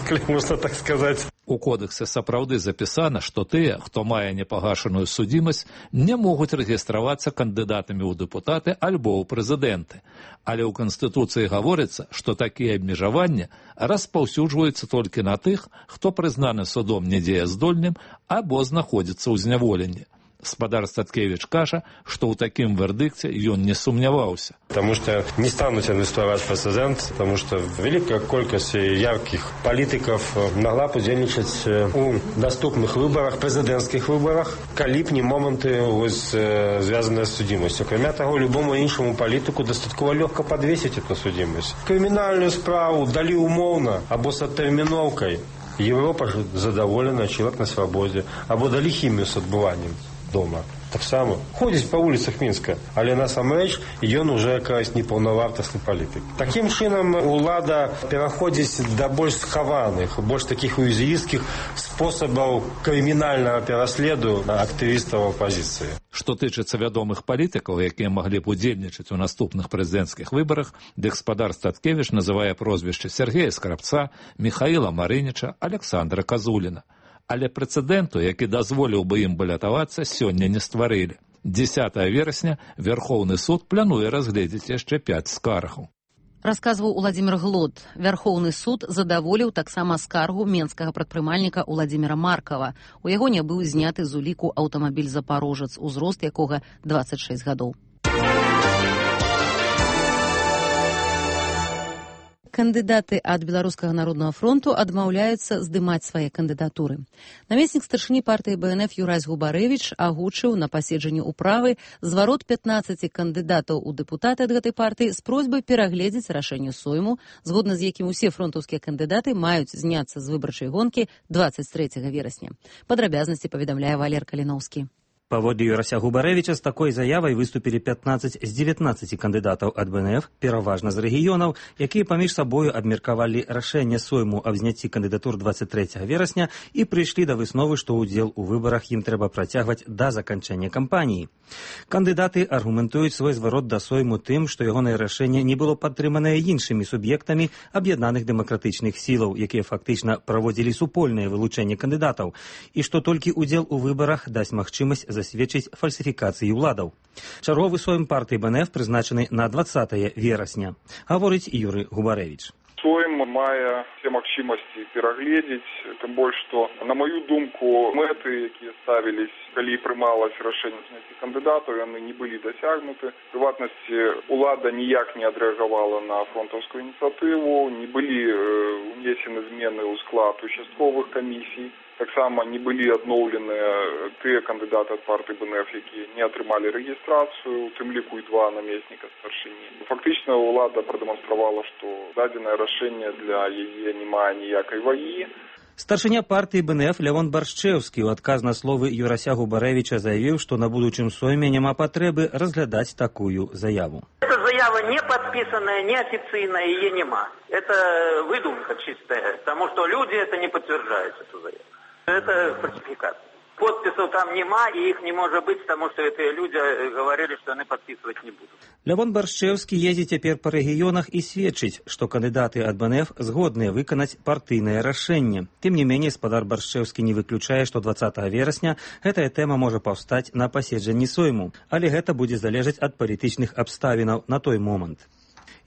калі можна так сказаць. У кодексе сапраўды запісана, што тыя, хто мае непагашаную судзімасць, не могуць рэгістравацца кандыдатамі ў дэпутаты альбо ў прэзідэнты. Але ў Канстытуцыі гаворыцца, што такія абмежаванні распаўсюджваюцца толькі на тых, хто прызнаны судом недзеяздольным або знаходзіцца ў зняволенні. Спадар Статкевіч кажа, што ў такім вердыкце ён не сумняваўся. Потому что не станут инвестировать в прецедент, потому что великая колькость ярких политиков могла удзельничать у доступных выборах, президентских выборах, калі б не моменты связанные с судимостью. Кроме того, любому іншому политику достатково легко подвесить эту судимость. Криминальную справу дали умовно, або с оттерминовкой. Европа задоволена, человек на свободе, або дали химию с отбыванием дома. Так само. Ходзіць па вуліцах Мінска, але насамрэч ён уже якась непаўнавартасны палітык. Такім чынам улада пераходзіць да больш схаваных, больш такіх уязвімых спосабаў крымінальнага пераследу актывістаў апазіцыі. Што тычыцца вядомых палітыкаў, якія маглі б удзельнічаць у наступных прэзідэнцкіх выбарах, дык спадар Статкевіч называе прозвішчы Сергея Скрабца, Міхаіла Марыніча, Александра Казуліна. Але прэцэдэнту, які дазволіў бы ім балятавацца, сёння не стварылі. дзесятага верасня Верхоўны суд плануе разгледзець яшчэ пяць скаргаў. Расказваў Уладзімір Глод. Верхоўны суд задаволіў таксама скаргу менскага прадпрымальніка Уладзіміра Маркава. У яго не быў зняты з уліку аўтамабіль «Запарожец», узрост якога дваццаць шэсць гадоў. Кандыдаты ад Беларускага народнага фронту адмаўляюцца здымаць свае кандыдатуры. Намеснік старшыні партыі Бэ Эн Эф Юрась Губарэвіч агучыў на паседжанні ўправы зварот пятнаццаці кандыдатаў у дэпутаты ад гэтай партыі з просьбай перагледзець рашэнне Сойму, згодна з якім усе фронтаўскія кандыдаты маюць зняцца з выбарчай гонкі дваццаць трэцяга верасня. Падрабязнасці паведамляе Валер Каліноўскі. Паводле Юрася Губарэвіча з такой заявай выступілі пятнаццаць з дзевятнаццаці кандыдатаў ад Бэ Эн Эф, пераважна з рэгіёнаў, якія паміж сабою абмеркавалі рашэнне Сойму аб зняцці кандыдатур дваццаць трэцяга верасня і прыйшлі да высновы, што ўдзел у выбарах ім трэба працягваць да заканчэння кампаніі. Кандыдаты аргументуюць свой зварот да Сойму тым, што ягонае рашэнне не было падтрыманае іншымі суб'ектамі аб'яднаных дэмакратычных сілаў, якія фактычна праводзілі супольнае вылучэнне кандыдатаў, і што толькі ўдзел у выбарах дасць магчымасць засведчыць фальсіфікацыі ўладаў. Чарговы Сойм партыі Бэ Эн Эф прызначаны на дваццатае верасня, гаворыць Юрый Губарэвіч. Сойм мае все магчымасці перагледзець, тым больш, што, на маю думку, мэты, якія ставілись, калі прымалось рашэнне зняцці кандыдатаў, яны не былі дасягнуты. В прыватнасці, улада ніяк не адрэагавала на фронтаўскую ініцыятыву, не былі внесены змены ў склад участковых камісій. Таксама не былі адноўленыя тыя кандыдаты ад партыі Бэ Эн Эф, якія не атрымалі рэгістрацыю, у тым ліку і два намесніка старшыні. Фактычна ўлада прадэманстравала, што дадзенае рашэнне для яе не мае ніякай вагі. Старшыня партыі Бэ Эн Эф Лявон Баршчэўскі ў адказ на словы Юрася Губарэвіча заявіў, што на будучым Сойме няма патрэбы разглядаць такую заяву. Эта заява не подписанная, не официальная, ее нема. Это выдумка чистая, потому что люди это не подтверждают, эту заяву. Это фальсификация. Подписов там нема, и их не может быть, потому что эти люди говорили, что они подписывать не будут. Лявон Баршчэўскі ездзіць цяпер па рэгіёнах і сведчыць, што кандыдаты ад бэ эн эф згодныя выканаць партыйнае рашэнне. Тым не меней, спадар Баршчэўскі не выключае, што дваццатага верасня гэтая тэма можа паўстаць на паседжанні сойму, але гэта будзе залежаць ад палітычных абставінаў на той момант.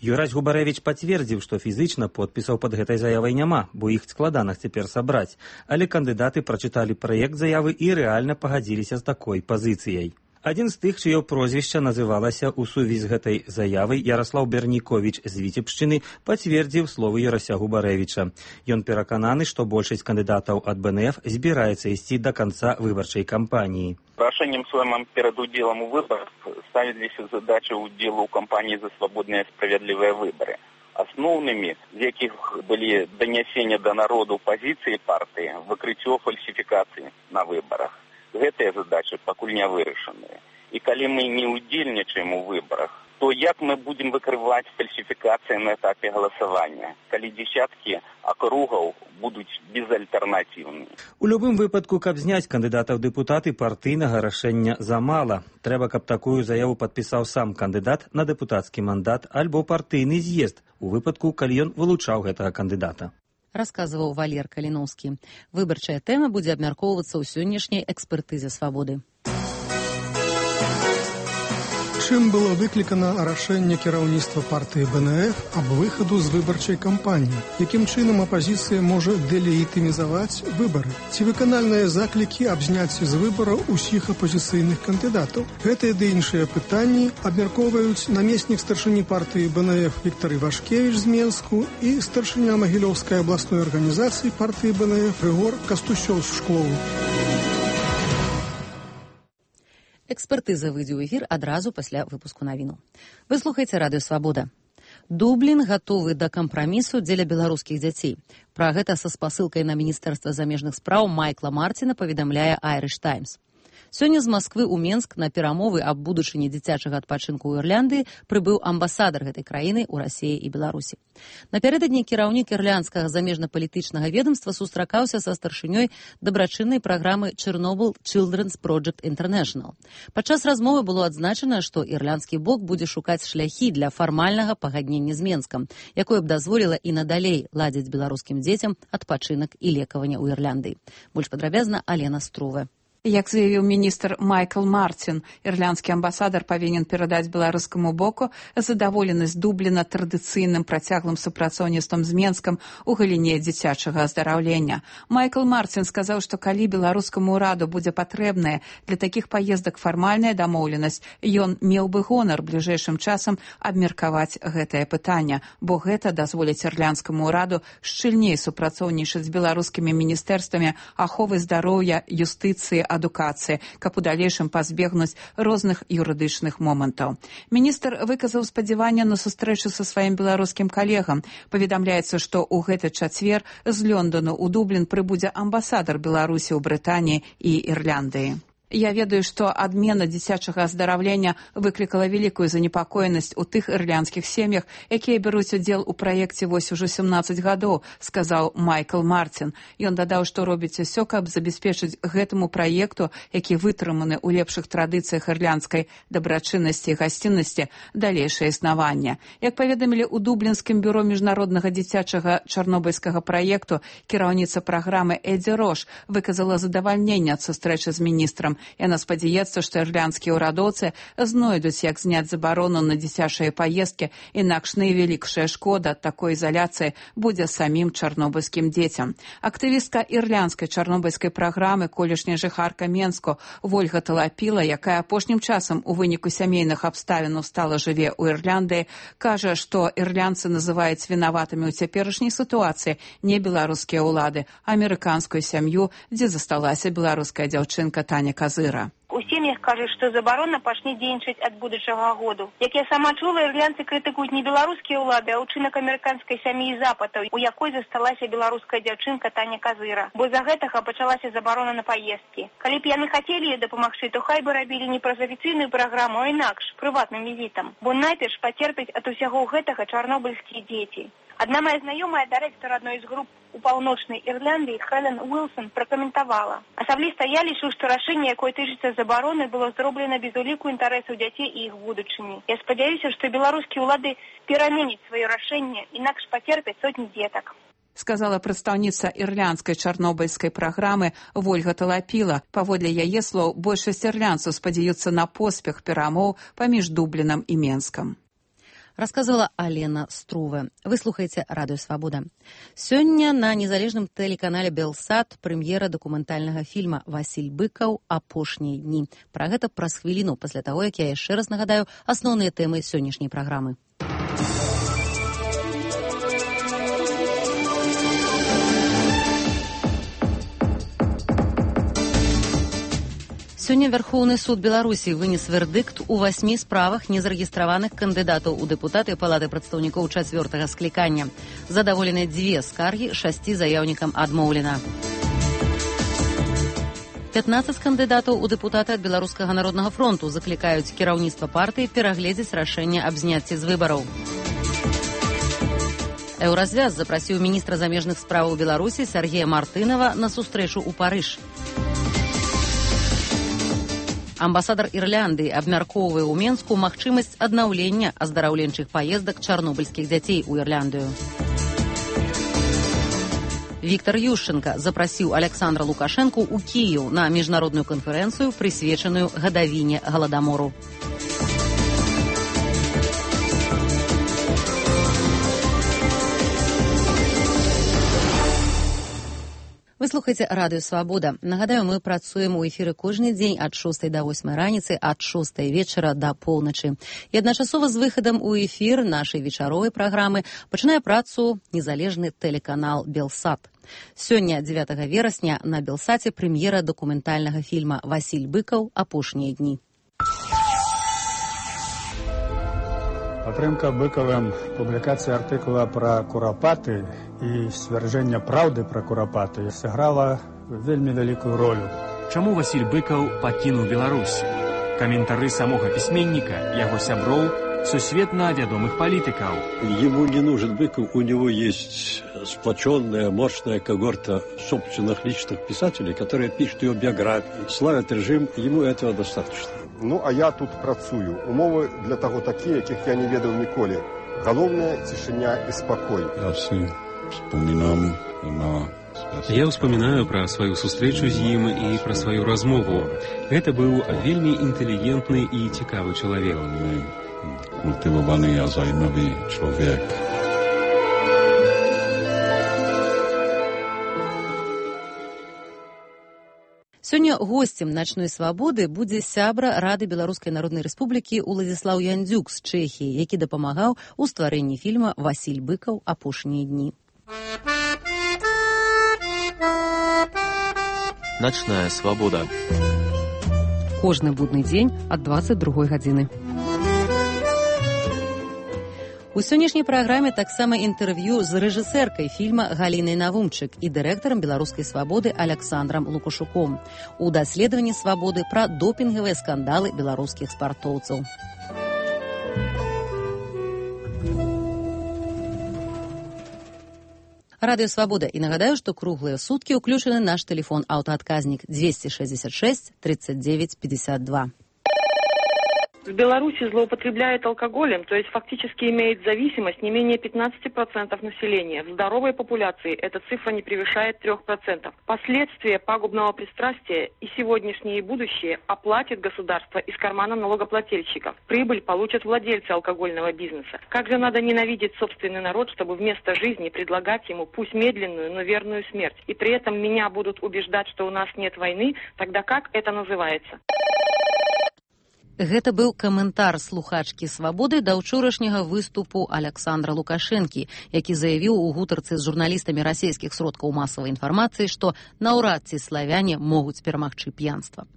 Юрась Губарэвіч пацвердзіў, што фізычна подпісаў пад гэтай заявай няма, бо іх складана цяпер сабраць, але кандыдаты прачыталі праект заявы і рэальна пагадзіліся з такой пазіцыяй. Адзін з тых, чыё прозвішча называлася ў сувязі з гэтай заявай, Яраслаў Берніковіч з Віцебшчыны, пацвердзіў словы Юрася Губарэвіча. Ён перакананы, што большасць кандыдатаў ад бэ эн эф збіраецца ісці да канца выбарчай кампаніі. Рашением своим перед уделом у выборов ставились задачи удела у кампании за свободные и справедливые выборы. Основными, из яких были донесения до народу позиции партии, выкрытие фальсификаций на выборах. Гэтыя задачи пакуль не вырашеныя. И коли мы не удельничаем у выборах, то як мы будем выкрывать фальсификации на этапе голосования, коли десятки округов будут безальтернативныя? У любым выпадку, каб зняць кандыдата ў дэпутаты, партыйнага рашэння замала. Трэба, каб такую заяву падпісаў сам кандыдат на дэпутацкі мандат альбо партыйны з'езд, у выпадку, калі ён вылучаў гэтага кандыдата. Расказваў Валер Каліноўскі. Выбарчая тэма будзе абмяркоўвацца ў сённяшняй экспертызе «Свабоды». Чым было выклікана рашэнне кіраўніцтва партыі бэ эн эф аб выхаду з выбарчай кампаніі? Якім чынам апазіцыя можа дэлегітымізаваць выбары? Ці выканальныя заклікі аб зняцці з выбараў усіх апазіцыйных кандыдатаў? Гэтыя ды іншыя пытанні абмяркоўваюць намеснік старшыні партыі бэ эн эф Віктор Івашкевіч з Менску і старшыня Магілёўскай абласной арганізацыі партыі бэ эн эф Рыгор Кастусёў з Шклову. Экспертыза выйдзе ў эфір адразу пасля выпуску навіну. Вы слухаеце радыё «Свабода». Дублін гатовы да кампрамісу дзеля беларускіх дзяцей. Пра гэта са спасылкай на Міністэрства замежных спраў Майкла Марціна паведамляе «Айрыш Таймс». Сёння з Масквы ў Менск на перамовы аб будучыні дзіцячага адпачынку ў Ірландыі прыбыў амбасадар гэтай краіны ў Расіі і Беларусі. Напярэдадні кіраўнік ірландскага замежна-палітычнага ведомства сустракаўся са старшынёй дабрачыннай праграмы Chernobyl Children's Project International. Падчас размовы было адзначана, што ірландскі бок будзе шукаць шляхі для фармальнага пагаднення з Менскам, якое б дазволіла і надалей ладзіць беларускім дзецям адпачынак і лекаванне ў Ірландыі. Больш падрабязна Алена Струве. Як заявіў міністр Майкл Марцін, ірландскі амбасадар павінен перадаць беларускаму боку задаволенасць Дубліна традыцыйным працяглым супрацоўніцтвам з Менскам у галіне дзіцячага аздараўлення. Майкл Марцін сказаў, што калі беларускаму ўраду будзе патрэбная для такіх паездак фармальная дамоўленасць, ён меў бы гонар бліжэйшым часам абмеркаваць гэтае пытанне, бо гэта дазволіць ірландскаму ўраду шчыльней супрацоўнічаць з беларускімі міністэрствамі аховы здароўя, юстыцыі, адукацыі, каб у далейшым пазбегнуць розных юрыдычных момантаў. Міністр выказаў спадзяванне на сустрэчу са сваім беларускім калегам. Паведамляецца, што ў гэты чацвер з Лёндану ў Дублін прыбудзе амбасадар Беларусі ў Брытаніі і Ірландыі. Я ведаю, што адмена дзіцячага аздараўлення выклікала вялікую занепакоенасць у тых ірландскіх сем'ях, якія бяруць удзел у праекце вось ужо сямнаццаць гадоў, сказаў Майкл Марцін. Ён дадаў, што робіць усё, каб забяспечыць гэтаму праекту, які вытрыманы ў лепшых традыцыях ірландскай дабрачыннасці і гасціннасці, далейшае існаванне. Як паведамілі ў Дублінскім бюро міжнароднага дзіцячага чарнобыльскага праекту, кіраўніца праграмы Эдзі Рош выказала задавальненне ад сустрэчы з міністрам. Яна спадзяецца, што ірландскія ўрадоўцы знойдуць, як зняць забарону на дзіцячыя паездкі, інакш найвялікшая шкода ад такой изоляцыі будзе самім чарнобыльскім дзецям. Актывістка ірландскай чарнобыльскай праграмы, колішняя жыхарка Менску Вольга Талапіла, якая апошнім часам у выніку сямейных абставінаў стала жыве ў Ірландыі, кажа, што ірландцы называюць вінаватымі ў цяперашняй сітуацыі не беларускія ўлады, а амерыканскую сям'ю, дзе засталася беларуская дзяўчынка Таня Казыра. У У сем'ях кажуць, што забарона пачне дзейнічаць ад будучага году. Як я сама чула, ірландцы крытыкуюць не беларускія ўлады, а ўчынак амерыканскай сям'і запатаў, у якой засталася беларуская дзяўчынка Таня Казыра. Бо за гэтага пачалася забарона на паездкі. Калі б яны хацелі дапамагчы, то хай бы рабілі не праз афіцыйную праграму, а інакш, прыватным візітам. Бо найперш пацерпяць ад усяго гэтага чарнобыльскія дзеці. Одна моя знакомая, директор одной из групп у паўночнай Ірландыі, Хелен Уилсон, пракаментавала. Асабліста я лічу, што рашэнне, якое тычыцца забароны, было зроблена без уліку інтарэсаў дзяцей і іх будучыні. Я спадзяюся, што беларускія ўлады пераменяць сваё рашэнне, інакш пацерпяць сотні дзетак. Сказала прадстаўніца ірландскай чарнобыльскай праграмы Вольга Талапіла. Паводле яе слоў, большасць ірландцаў спадзяюцца на поспех перамоў паміж Дублінам і Менскам. Рассказывала Алена Струве. Вы слухаеце Радыё Свабода. Сёння на незалежным тэлеканале Белсат прэм'ера дакументальнага фільма «Васіль Быкаў. Апошнія дні». Пра гэта праз хвіліну пасля таго, як я яшчэ раз нагадаю асноўныя тэмы сённяшняй праграмы. Сёння Верховны суд Беларусі вынес вердыкт у васьмі справах незарэгістраваных кандыдатаў у дэпутаты Палаты прадстаўнікоў чацвёртага склікання. Задаволены дзве скаргі, шасці заяўнікам адмоўлена. пятнаццаць кандыдатаў у дэпутаты ад Беларускага народнага фронту заклікаюць кіраўніцтва партыі перагледзець рашэнне аб зняцці з выбараў. Еўразвяз запрасіў міністра замежных справаў Беларусі Сергея Мартынова на сустрэчу ў Парыж. Амбасадар Ірландыі абмяркоўвае ў Менску магчымасць аднаўлення аздараўленчых паездак чарнобыльскіх дзяцей у Ірландыю. Віктор Ющенка запрасіў Александра Лукашэнку ў Кіеў на міжнародную канферэнцыю, прысвечаную гадавіне галадамору. Вы слухаеце Радыё Свабода. Нагадаю, мы працуем у эфіры кожны дзень ад шостай да восьмай раніцы, ад шостай вечара да поўначы. І адначасова з выхадам у эфір нашай вечаровай праграмы пачынае працу незалежны тэлеканал Белсат. Сёння, дзевятага верасня, на Белсаце прэм'ера дакументальнага фільма «Васіль Быкаў. Апошнія дні». Падтрымка Быкавым публікацыя артыкула пра курапаты і сцвярджэння праўды пра курапаты сыграла вельмі вялікую ролю. Чаму Васіль Быкаў пакінуў Беларусь? Каментары самога пісьменніка, яго сяброў, сусветна вядомых политиков. Ему не нужен Быков, у него есть сплоченная, мощная когорта собственных личных писателей, которые пишут его биографии, славят режим, ему этого достаточно. Ну, а я тут працую. Умовы для того такие, яких я не ведал николи. Головная тишиня и спокой. Я все вспоминам на... Я ўспамінаю пра сваю сустрэчу з ім і пра сваю размову. Гэта быў вельмі інтэлігентны і цікавы чалавек. Культываваны а займавы чалавек. Сёння госцем начной свабоды будзе сябра Рады Беларускай Народнай Рэспублікі Уладзіслаў Яндзюк з Чэхіі, які дапамагаў у стварэнні фільма «Васіль Быкаў. Апошнія дні». Начная свабода. Кожны будны дзень ад дваццаць другой гадзіны. У сённяшняй праграме таксама інтэрв'ю з рэжысэркай фільма Галінай Навумчык і дырэктарам беларускай свабоды Александрам Лукашуком у даследаванні свабоды пра допінгавыя скандалы беларускіх спартоўцаў. Радыё Свабода. І нагадаю, што круглыя суткі ўключаны наш тэлефон аўтаадказнік двести шестьдесят шесть тридцать девять пятьдесят два. В Беларуси злоупотребляет алкоголем, то есть фактически имеет зависимость не менее пятнадцати процентов населения. В здоровой популяции эта цифра не превышает трёх процентов. Последствия пагубного пристрастия и сегодняшнее, и будущее оплатит государство из кармана налогоплательщиков. Прибыль получат владельцы алкогольного бизнеса. Как же надо ненавидеть собственный народ, чтобы вместо жизни предлагать ему пусть медленную, но верную смерть. И при этом меня будут убеждать, что у нас нет войны, тогда как это называется? Гэта быў каментар слухачкі «Свабоды» да ўчорашняга выступу Александра Лукашэнкі, які заявіў у гутарцы з журналістамі расійскіх сродкаў масавай інфармацыі, што наўрад ці славяне могуць перамагчы п'янства.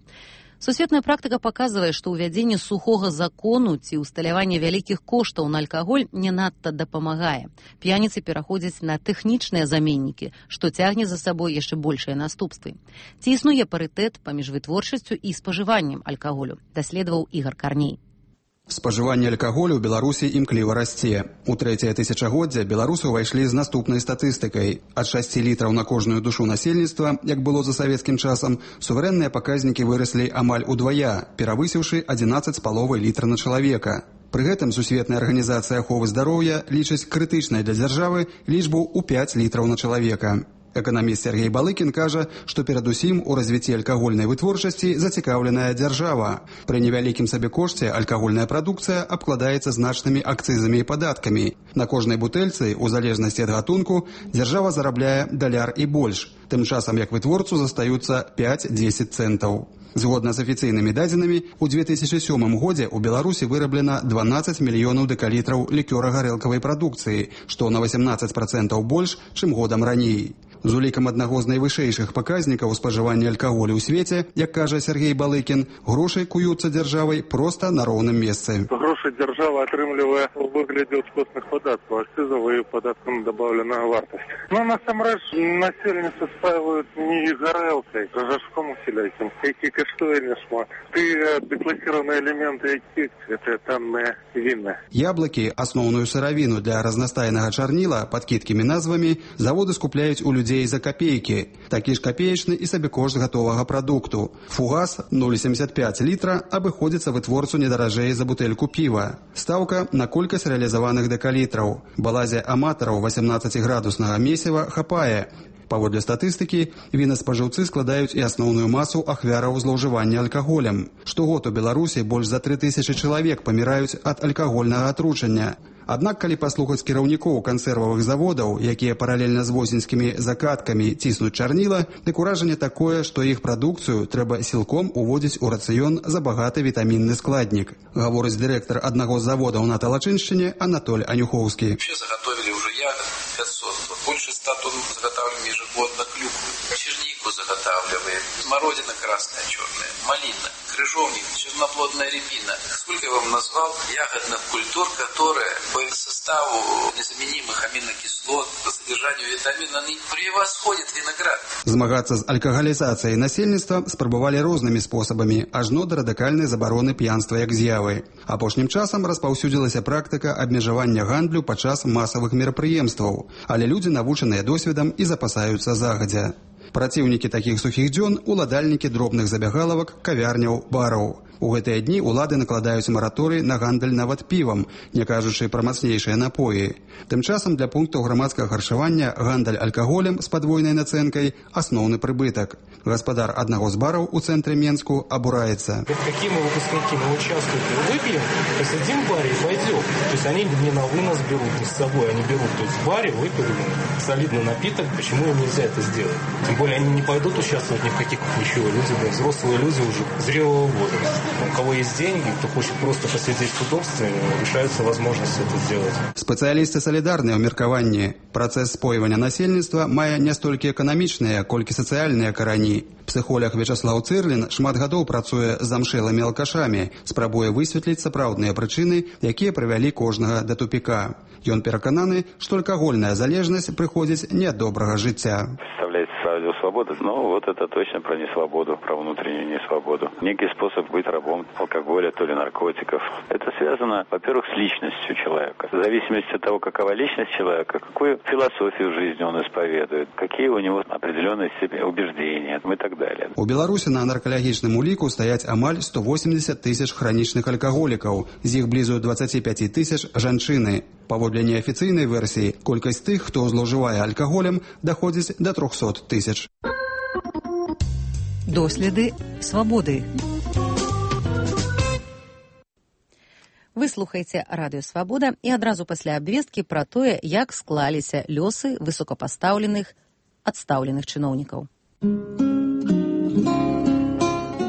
Сусветная практыка паказвае, што ўвядзенне сухога закону ці ўсталяванне вялікіх коштаў на алкаголь не надта дапамагае. П'яніцы пераходзяць на тэхнічныя заменнікі, што цягне за сабой яшчэ большыя наступствы. Ці існуе парытэт паміж вытворчасцю і спажываннем алкаголю, даследаваў Ігар Карней. Спажыванне алкаголю ў Беларусі імкліва расце. У трэцяе тысячагоддзя беларусы ўвайшлі з наступнай статыстыкай. Ад шасці літраў на кожную душу насельніцтва, як было за савецкім часам, суверэнныя паказнікі выраслі амаль удвая, перавысіўшы адзінаццаць з паловай літра на чалавека. Пры гэтым Сусветная арганізацыя аховы здароўя лічыць крытычнай для дзяржавы лічбу ў пяць літраў на чалавека. Эканаміст Сергей Балыкін кажа, што перадусім у развіцці алкагольнай вытворчасці зацікаўленая дзяржава. Пры невялікім сабекошце алкагольная прадукцыя абкладаецца значнымі акцызамі і падаткамі. На кожнай бутэльцы, у залежнасці ад гатунку, дзяржава зарабляе даляр і больш, тым часам як вытворцу застаюцца пяць-дзесяць цэнтаў. Згодна з афіцыйнымі дадзенымі, у две тысячы сёмым годзе ў Беларусі выраблена дванаццаць мільёнаў дэкалітраў лікёра-гарэлкавай прадукцыі, што на васямнаццаць працэнтаў больш, чым годам раней. З улікам аднаго з найвышэйшых паказнікаў спажывання алкаголю ў свеце, як кажа Сергей Балыкін, грошай куюцца дзяржавай проста на роўным месцы. Грошай дзяржава атрымлівае ў выглядзе ўскосных падаткаў, акцызаў і падаткам дабаўленая вартасць. Ну, насамрэч, насельніцтва спаваюць не гарэлкай, а жажком усялякім, які каштуе няшмат. Ты дэкласіраваныя элементы, які гэта танныя віны. Яблыкі, асноўную сыравіну для разнастайнага чарніла пад кідкімі назвамі, заводы скупляюць у людзей за копейкі. Такі ж копеечны і сабекошт гатовага прадукту. Фугас нуль семьдесят пять літра абыходзіцца вытворцу не даражэй за бутэльку піва. Стаўка на колькасць рэалізаваных дэкалітраў. Балазе аматараў васямнаццаціградуснага месіва хапае. Паводле статыстыкі, вінаспажыўцы складаюць і асноўную масу ахвяраў злоўжывання алкаголем. Штогод у Беларусі больш за тры тысячы чалавек паміраюць ад алкагольнага атручання. Аднак, калі паслухаць кіраўнікоў кансервавых заводаў, якія паралельна з восеньскімі закаткамі ціснуць чарніла, дык уражанне такое, што іх прадукцыю трэба сілком уводзіць у рацыён забагаты вітамінны складнік. Гаворыць дырэктар аднаго з заводаў на Талачыншчыне Анатоль Анюхоўскі. Вообще заготовили уже ягод пятьсот, больше ста тонн заготавливаем ежегодно клюквы, чернику заготавливаем, смородина красная, черная, малина, крыжовник, черноплодная рябина. Сколько я вам назвал ягодных культур, которые по составу незаменимых аминокислот, по содержанию витамина, они превосходят виноград. Змагацца з алкагалізацыяй насельніцтва спрабавалі рознымі спосабамі, ажно да радыкальнай забароны п'янства як з'явы. Апошнім часам распаўсюдзілася практыка абмежавання гандлю падчас масавых мерапрыемстваў, але людзі навучаныя досведам і запасаюцца загадзя. Праціўнікі такіх сухіх дзён – уладальнікі дробных забягалавак, кавярняў, бараў. У гэтыя дні ўлады накладаюць мараторый на гандаль нават півам, не кажучы пра мацнейшыя напоі. Тым часам для пунктаў грамадскага харчавання гандаль алкаголем з падвойнай нацэнкай – асноўны прыбытак. Гаспадар аднаго з бараў у цэнтры Менску абураецца. Какие мы выпускники, мы участвуем, выпьем, посидим в баре и пойдем. То есть они не на вынос берут, не с собой, они берут. То есть в баре выпили солидный напиток, почему им нельзя это сделать? Тем более они не пойдут участвовать ни в каких ничего. Люди, да, взрослые люди уже зрелого возраста. У кого есть деньги, кто хочет просто посидеть в удобстве, решается возможность это сделать. Спецыялісты салідарныя ў меркаванні. Працэс спойвання насельніцтва мае не столькі эканамічныя, колькі сацыяльныя карані. Псіхолог Вячаслаў Цырлін шмат гадоў працуе з замшэлымі алкашамі, спрабуе высветліць сапраўдныя прычыны, якія прывялі кожнага да тупіка. Ён перакананы, што алкагольная залежнасць прыходзіць не ад добрага жыцця. Радио «Свобода», но вот это точно про несвободу, про внутреннюю несвободу. Некий способ быть рабом алкоголя, то ли наркотиков. Это связано, во-первых, с личностью человека. В зависимости от того, какова личность человека, какую философию жизни он исповедует, какие у него определенные себе убеждения и так далее. У Беларусі на наркалагічным уліку стаяць амаль сто восемьдесят тысяч хранічных алкаголікаў, з іх блізу двадцать пять тысяч жанчыны. Паводле неафіцыйнай версіі, колькасць тых, хто злоўжывае алкаголем, даходзіць да трохсот тысяч. Доследы свабоды. Вы слухаеце радыё «Свабода» і адразу пасля абвесткі пра тое, як склаліся лёсы высокапастаўленых адстаўленых чыноўнікаў.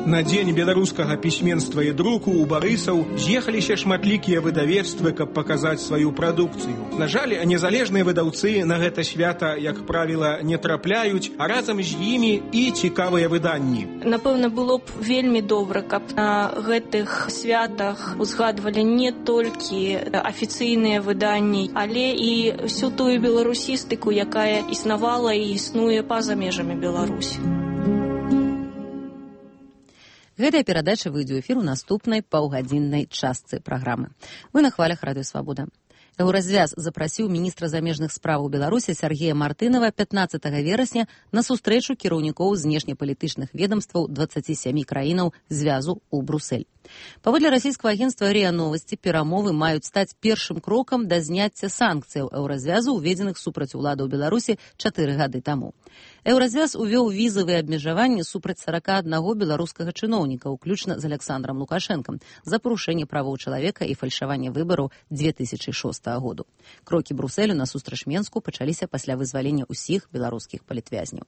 На дзень беларускага пісьменства і друку ў Барысаў з'ехаліся шматлікія выдавецтвы, каб паказаць сваю прадукцыю. На жаль, незалежныя выдаўцы на гэта свята, як правіла, не трапляюць, а разам з імі і цікавыя выданні. Напэўна, было б вельмі добра, каб на гэтых святах узгадвалі не толькі афіцыйныя выданні, але і всю тую беларусістыку, якая існавала і існуе па-за межамі Беларусі. Гэтая перадача выйдзе ў эфір у наступнай паўгадзіннай частцы праграмы. Вы на хвалях Радыё Свабода. Еўразвяз запрасіў міністра замежных справаў Беларусі Сергея Мартынова пятнаццатага верасня на сустрэчу кіраўнікоў знешнепалітычных ведомстваў дваццаці сямі краінаў звязу ў Брусэль. Паводле расійскага агенцтва РИА Новости, перамовы маюць стаць першым крокам да зняцця санкцыяў еўразвязу, уведзеных супраць уладаў Беларусі чатыры гады таму. Еўразвяз увёў візавыя абмежаванні супраць сарака аднаго беларускага чыноўніка, уключна з Александром Лукашэнкам, за парушэнне правоў чалавека і фальшаванне выбараў две тысячы шостага году. Крокі Брусэлю насустрач Менску пачаліся пасля вызвалення ўсіх беларускіх палітвязняў.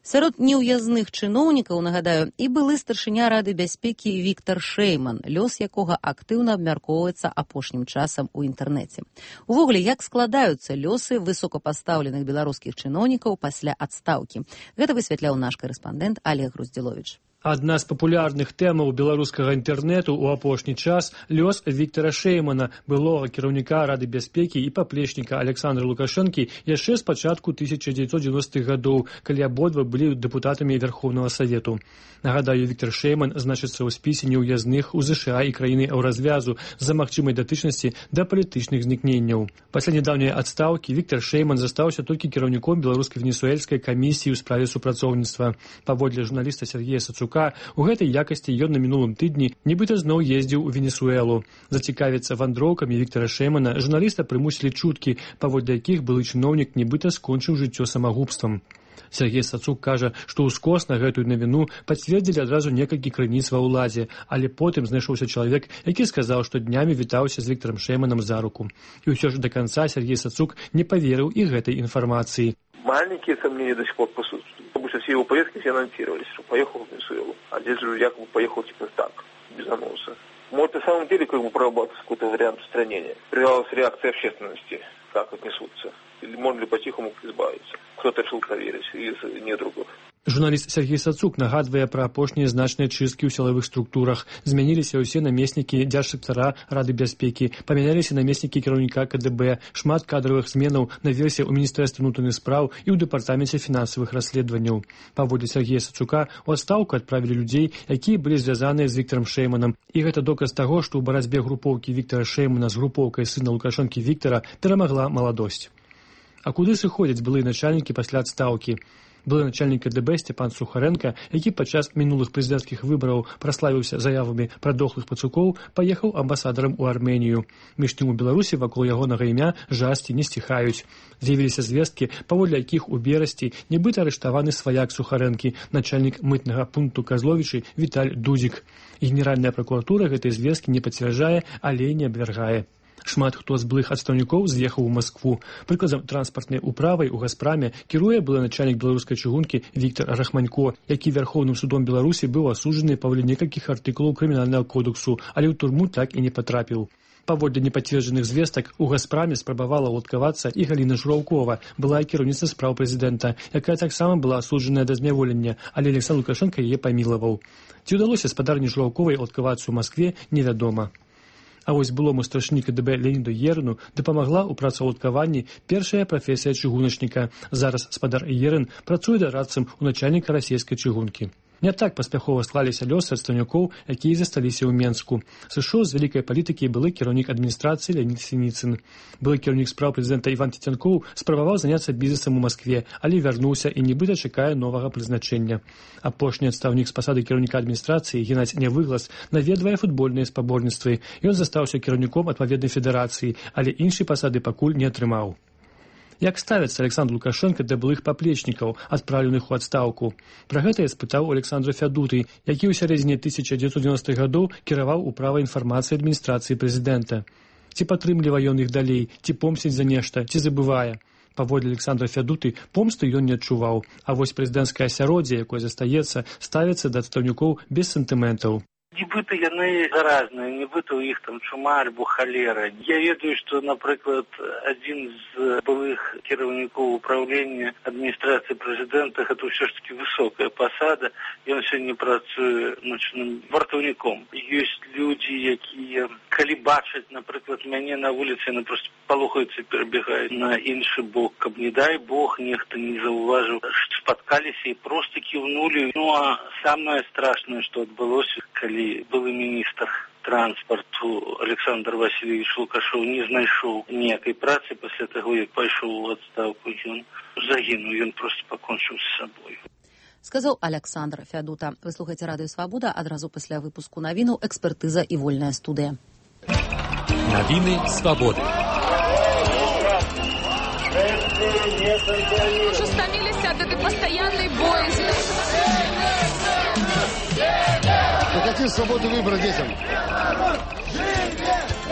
Сярод неўязных чыноўнікаў, нагадаю, і былы старшыня Рады бяспекі Віктор Шэйман, лёс якога актыўна абмяркоўваецца апошнім часам у інтэрнэце. Увогуле, як складаюцца лёсы высокапастаўленых беларускіх чыноўнікаў пасля адстаўкі? Гэта высвятляў наш карэспандэнт Олег Груздзіловіч. Адна з папулярных тэмаў беларускага інтэрнэту ў апошні час – лёс Віктора Шэймана, былога кіраўніка Рады бяспекі і паплечніка Александра Лукашэнкі яшчэ з пачатку тысяча дзевяцьсот дзевяностых гадоў, калі абодва былі дэпутатамі Верховнага Савету. Нагадаю, Віктор Шэйман значыцца ў спісе неўязных у ЗША і краіны еўразвязу з-за магчымай датычнасці да палітычных знікненняў. Пасля нядаўняй адстаўкі Віктор Шэйман застаўся толькі кіраўніком беларуска-венесуэльскай камісіі ў справе супрацоўніцтва. Паводле журналіста Сергея Сацука, у гэтай якасці ён на мінулым тыдні нібыта зноў ездзіў у Венесуэлу. Зацікавіцца вандроўкамі Віктора Шэймана журналіста прымусілі чуткі, паводле якіх былы чыноўнік нібыта скончыў жыццё самагубствам. Сергей Сацук кажа, што ўскос на гэтую навіну пацвердзілі адразу некалькі крыніц ва ўладзе, але потым знайшоўся чалавек, які сказаў, што днямі вітаўся з Віктором Шэйманам за руку. І ўсё ж да канца Сергей Сацук не поверыў і гэтай информации. Маленькие сомнения до сих пор присутствуют, потому что все его поездки все анонсировались, что поехал в Венесуэлу, а здесь же якобы поехал типа так, без анонса. Может, на самом деле как бы прорабатывать какой-то вариант устранения. Привелась реакция общественности, как отнесутся. Или можно ли по-тихому избавиться? Кто-то решил проверить из недругов. Журналіст Сергей Сацук нагадвае пра апошнія значныя чысткі ў сілавых структурах. Змяніліся ўсе намеснікі дзяржсектара Рады бяспекі, памяняліся намеснікі кіраўніка КДБ, шмат кадравых зменаў наверсе ў Міністэрстве ўнутраных спраў і ў дэпартаменце фінансавых расследаванняў. Паводле Сергея Сацука, у адстаўку адправілі людзей, якія былі звязаныя з Віктором Шэйманам. І гэта доказ таго, што ў барацьбе групоўкі Віктора Шэймана з групоўкай сына Лукашэнкі Віктора перамагла маладосць. А куды сыходзяць былыя начальнікі пасля адстаўкі? Былы начальнік КДБ Степан Сухаренко, які падчас мінулых прэзідэнцкіх выбараў праславіўся заявамі пра дохлых пацукоў, паехаў амбасадарам у Арменію. Між тым у Беларусі вакол ягонага імя жасці не сціхаюць. З'явіліся звесткі, паводле якіх у берасці нібыта арыштаваны сваяк Сухарэнкі, начальнік мытнага пункту Казловічы Віталь Дудзік. Генеральная пракуратура гэтай звесткі не пацвярджае, але не абвяргае. Шмат хто з былых адстаўнікоў з'ехаў у Маскву. Прыкладам, транспартнай управай у Газпраме кіруе былы начальнік беларускай чыгункі Віктор Рахманько, які Верховным судом Беларусі быў асуджаны паводле некалькіх артыкулаў крымінальнага кодексу, але ў турму так і не патрапіў. Паводле непацверджаных звестак, у Газпраме спрабавала ўладкавацца і Галіна Жураўкова, былая кіраўніца спраў прэзідэнта, якая таксама была асуджаная да зняволення, але Александр Лукашенко яе памілаваў. Ці ўдалося спадарні Жураўковай ўладкавацца ў Маскве, невядома. А вось былому старшыні КДБ Леоніду Ерыну дапамагла ў працаўладкаванні першая прафесія чыгуначніка. Зараз спадар Ерын працуе дарадцам у начальніка расійскай чыгункі. Не так паспяхова склаліся лёсы адстаўнікоў, якія засталіся ў Менску. Сышоў з вялікай палітыкі былы кіраўнік адміністрацыі Леонід Сініцын. Былы кіраўнік спраў прэзідэнта Іван Цецянкоў спрабаваў заняцца бізнесам у Маскве, але вярнуўся і нібыта чакае новага прызначэння. Апошні адстаўнік з пасады кіраўніка адміністрацыі Геннадзь Нявыглас наведвае футбольныя спаборніцтвы. Ён застаўся кіраўніком адпаведнай федэрацыі, але іншай пасады пакуль не атрымаў. Як ставіцца Александр Лукашенко да былых паплечнікаў, адпраўленых у адстаўку? Пра гэта я спытаў у Александра Фядуты, які ў сярэдзіне тысяча дзевяцьсот девяностых гадоў кіраваў управай інфармацыі адміністрацыі прэзідэнта. Ці падтрымлівае ён іх далей, ці помсціць за нешта, ці забывае? Паводле Александра Фядуты, помсты ён не адчуваў, а вось прэзідэнцкае асяроддзе, якое застаецца, ставіцца да адстаўнікоў без сентыментаў. Нібыта яны заразныя, нібыта ў іх там чума альбо халера. Я ведаю, што, напрыклад, адзін з былых кіраўнікоў управлення адміністрацыі прэзідэнта, гэта ўсё ж такі высокая пасада, ён сёння працуе начным вартаўніком. Ёсць людзі, якія, калі бачаць, напрыклад, мяне на вуліцы, яны проста палохаюцца і перабегаюць на іншы бок, каб, не дай Бог, нехта не заўважыў, спаткаліся і проста кіўнулі. Ну, а самае страшнае, што адбылося, калі былы міністр транспарту Александр Васильевич Лукашоў не знайшоў ніякай працы пасля таго, як пайшоў у адстаўку, ён загінуў, ён проста пакончыў з сабой. Сказаў Александр Фядута. Вы слухаеце Радыё Свабода, адразу пасля выпуску навінаў экспертыза і вольная студыя. Навіны Свабоды. Уже стаміліся ад этой пастаяннай боязни. Ну какие свободы выбора детям?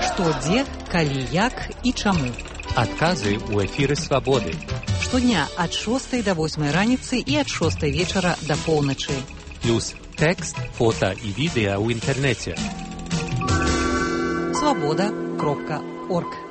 Што, дзе, калі, як і чаму? Адказы ў эфіры Свабоды. Штодня ад шостай да восьмай раніцы і ад шостай вечара да поўначы. Плюс тэкст, фота і відэа ў інтэрнэце. свабода кропка орг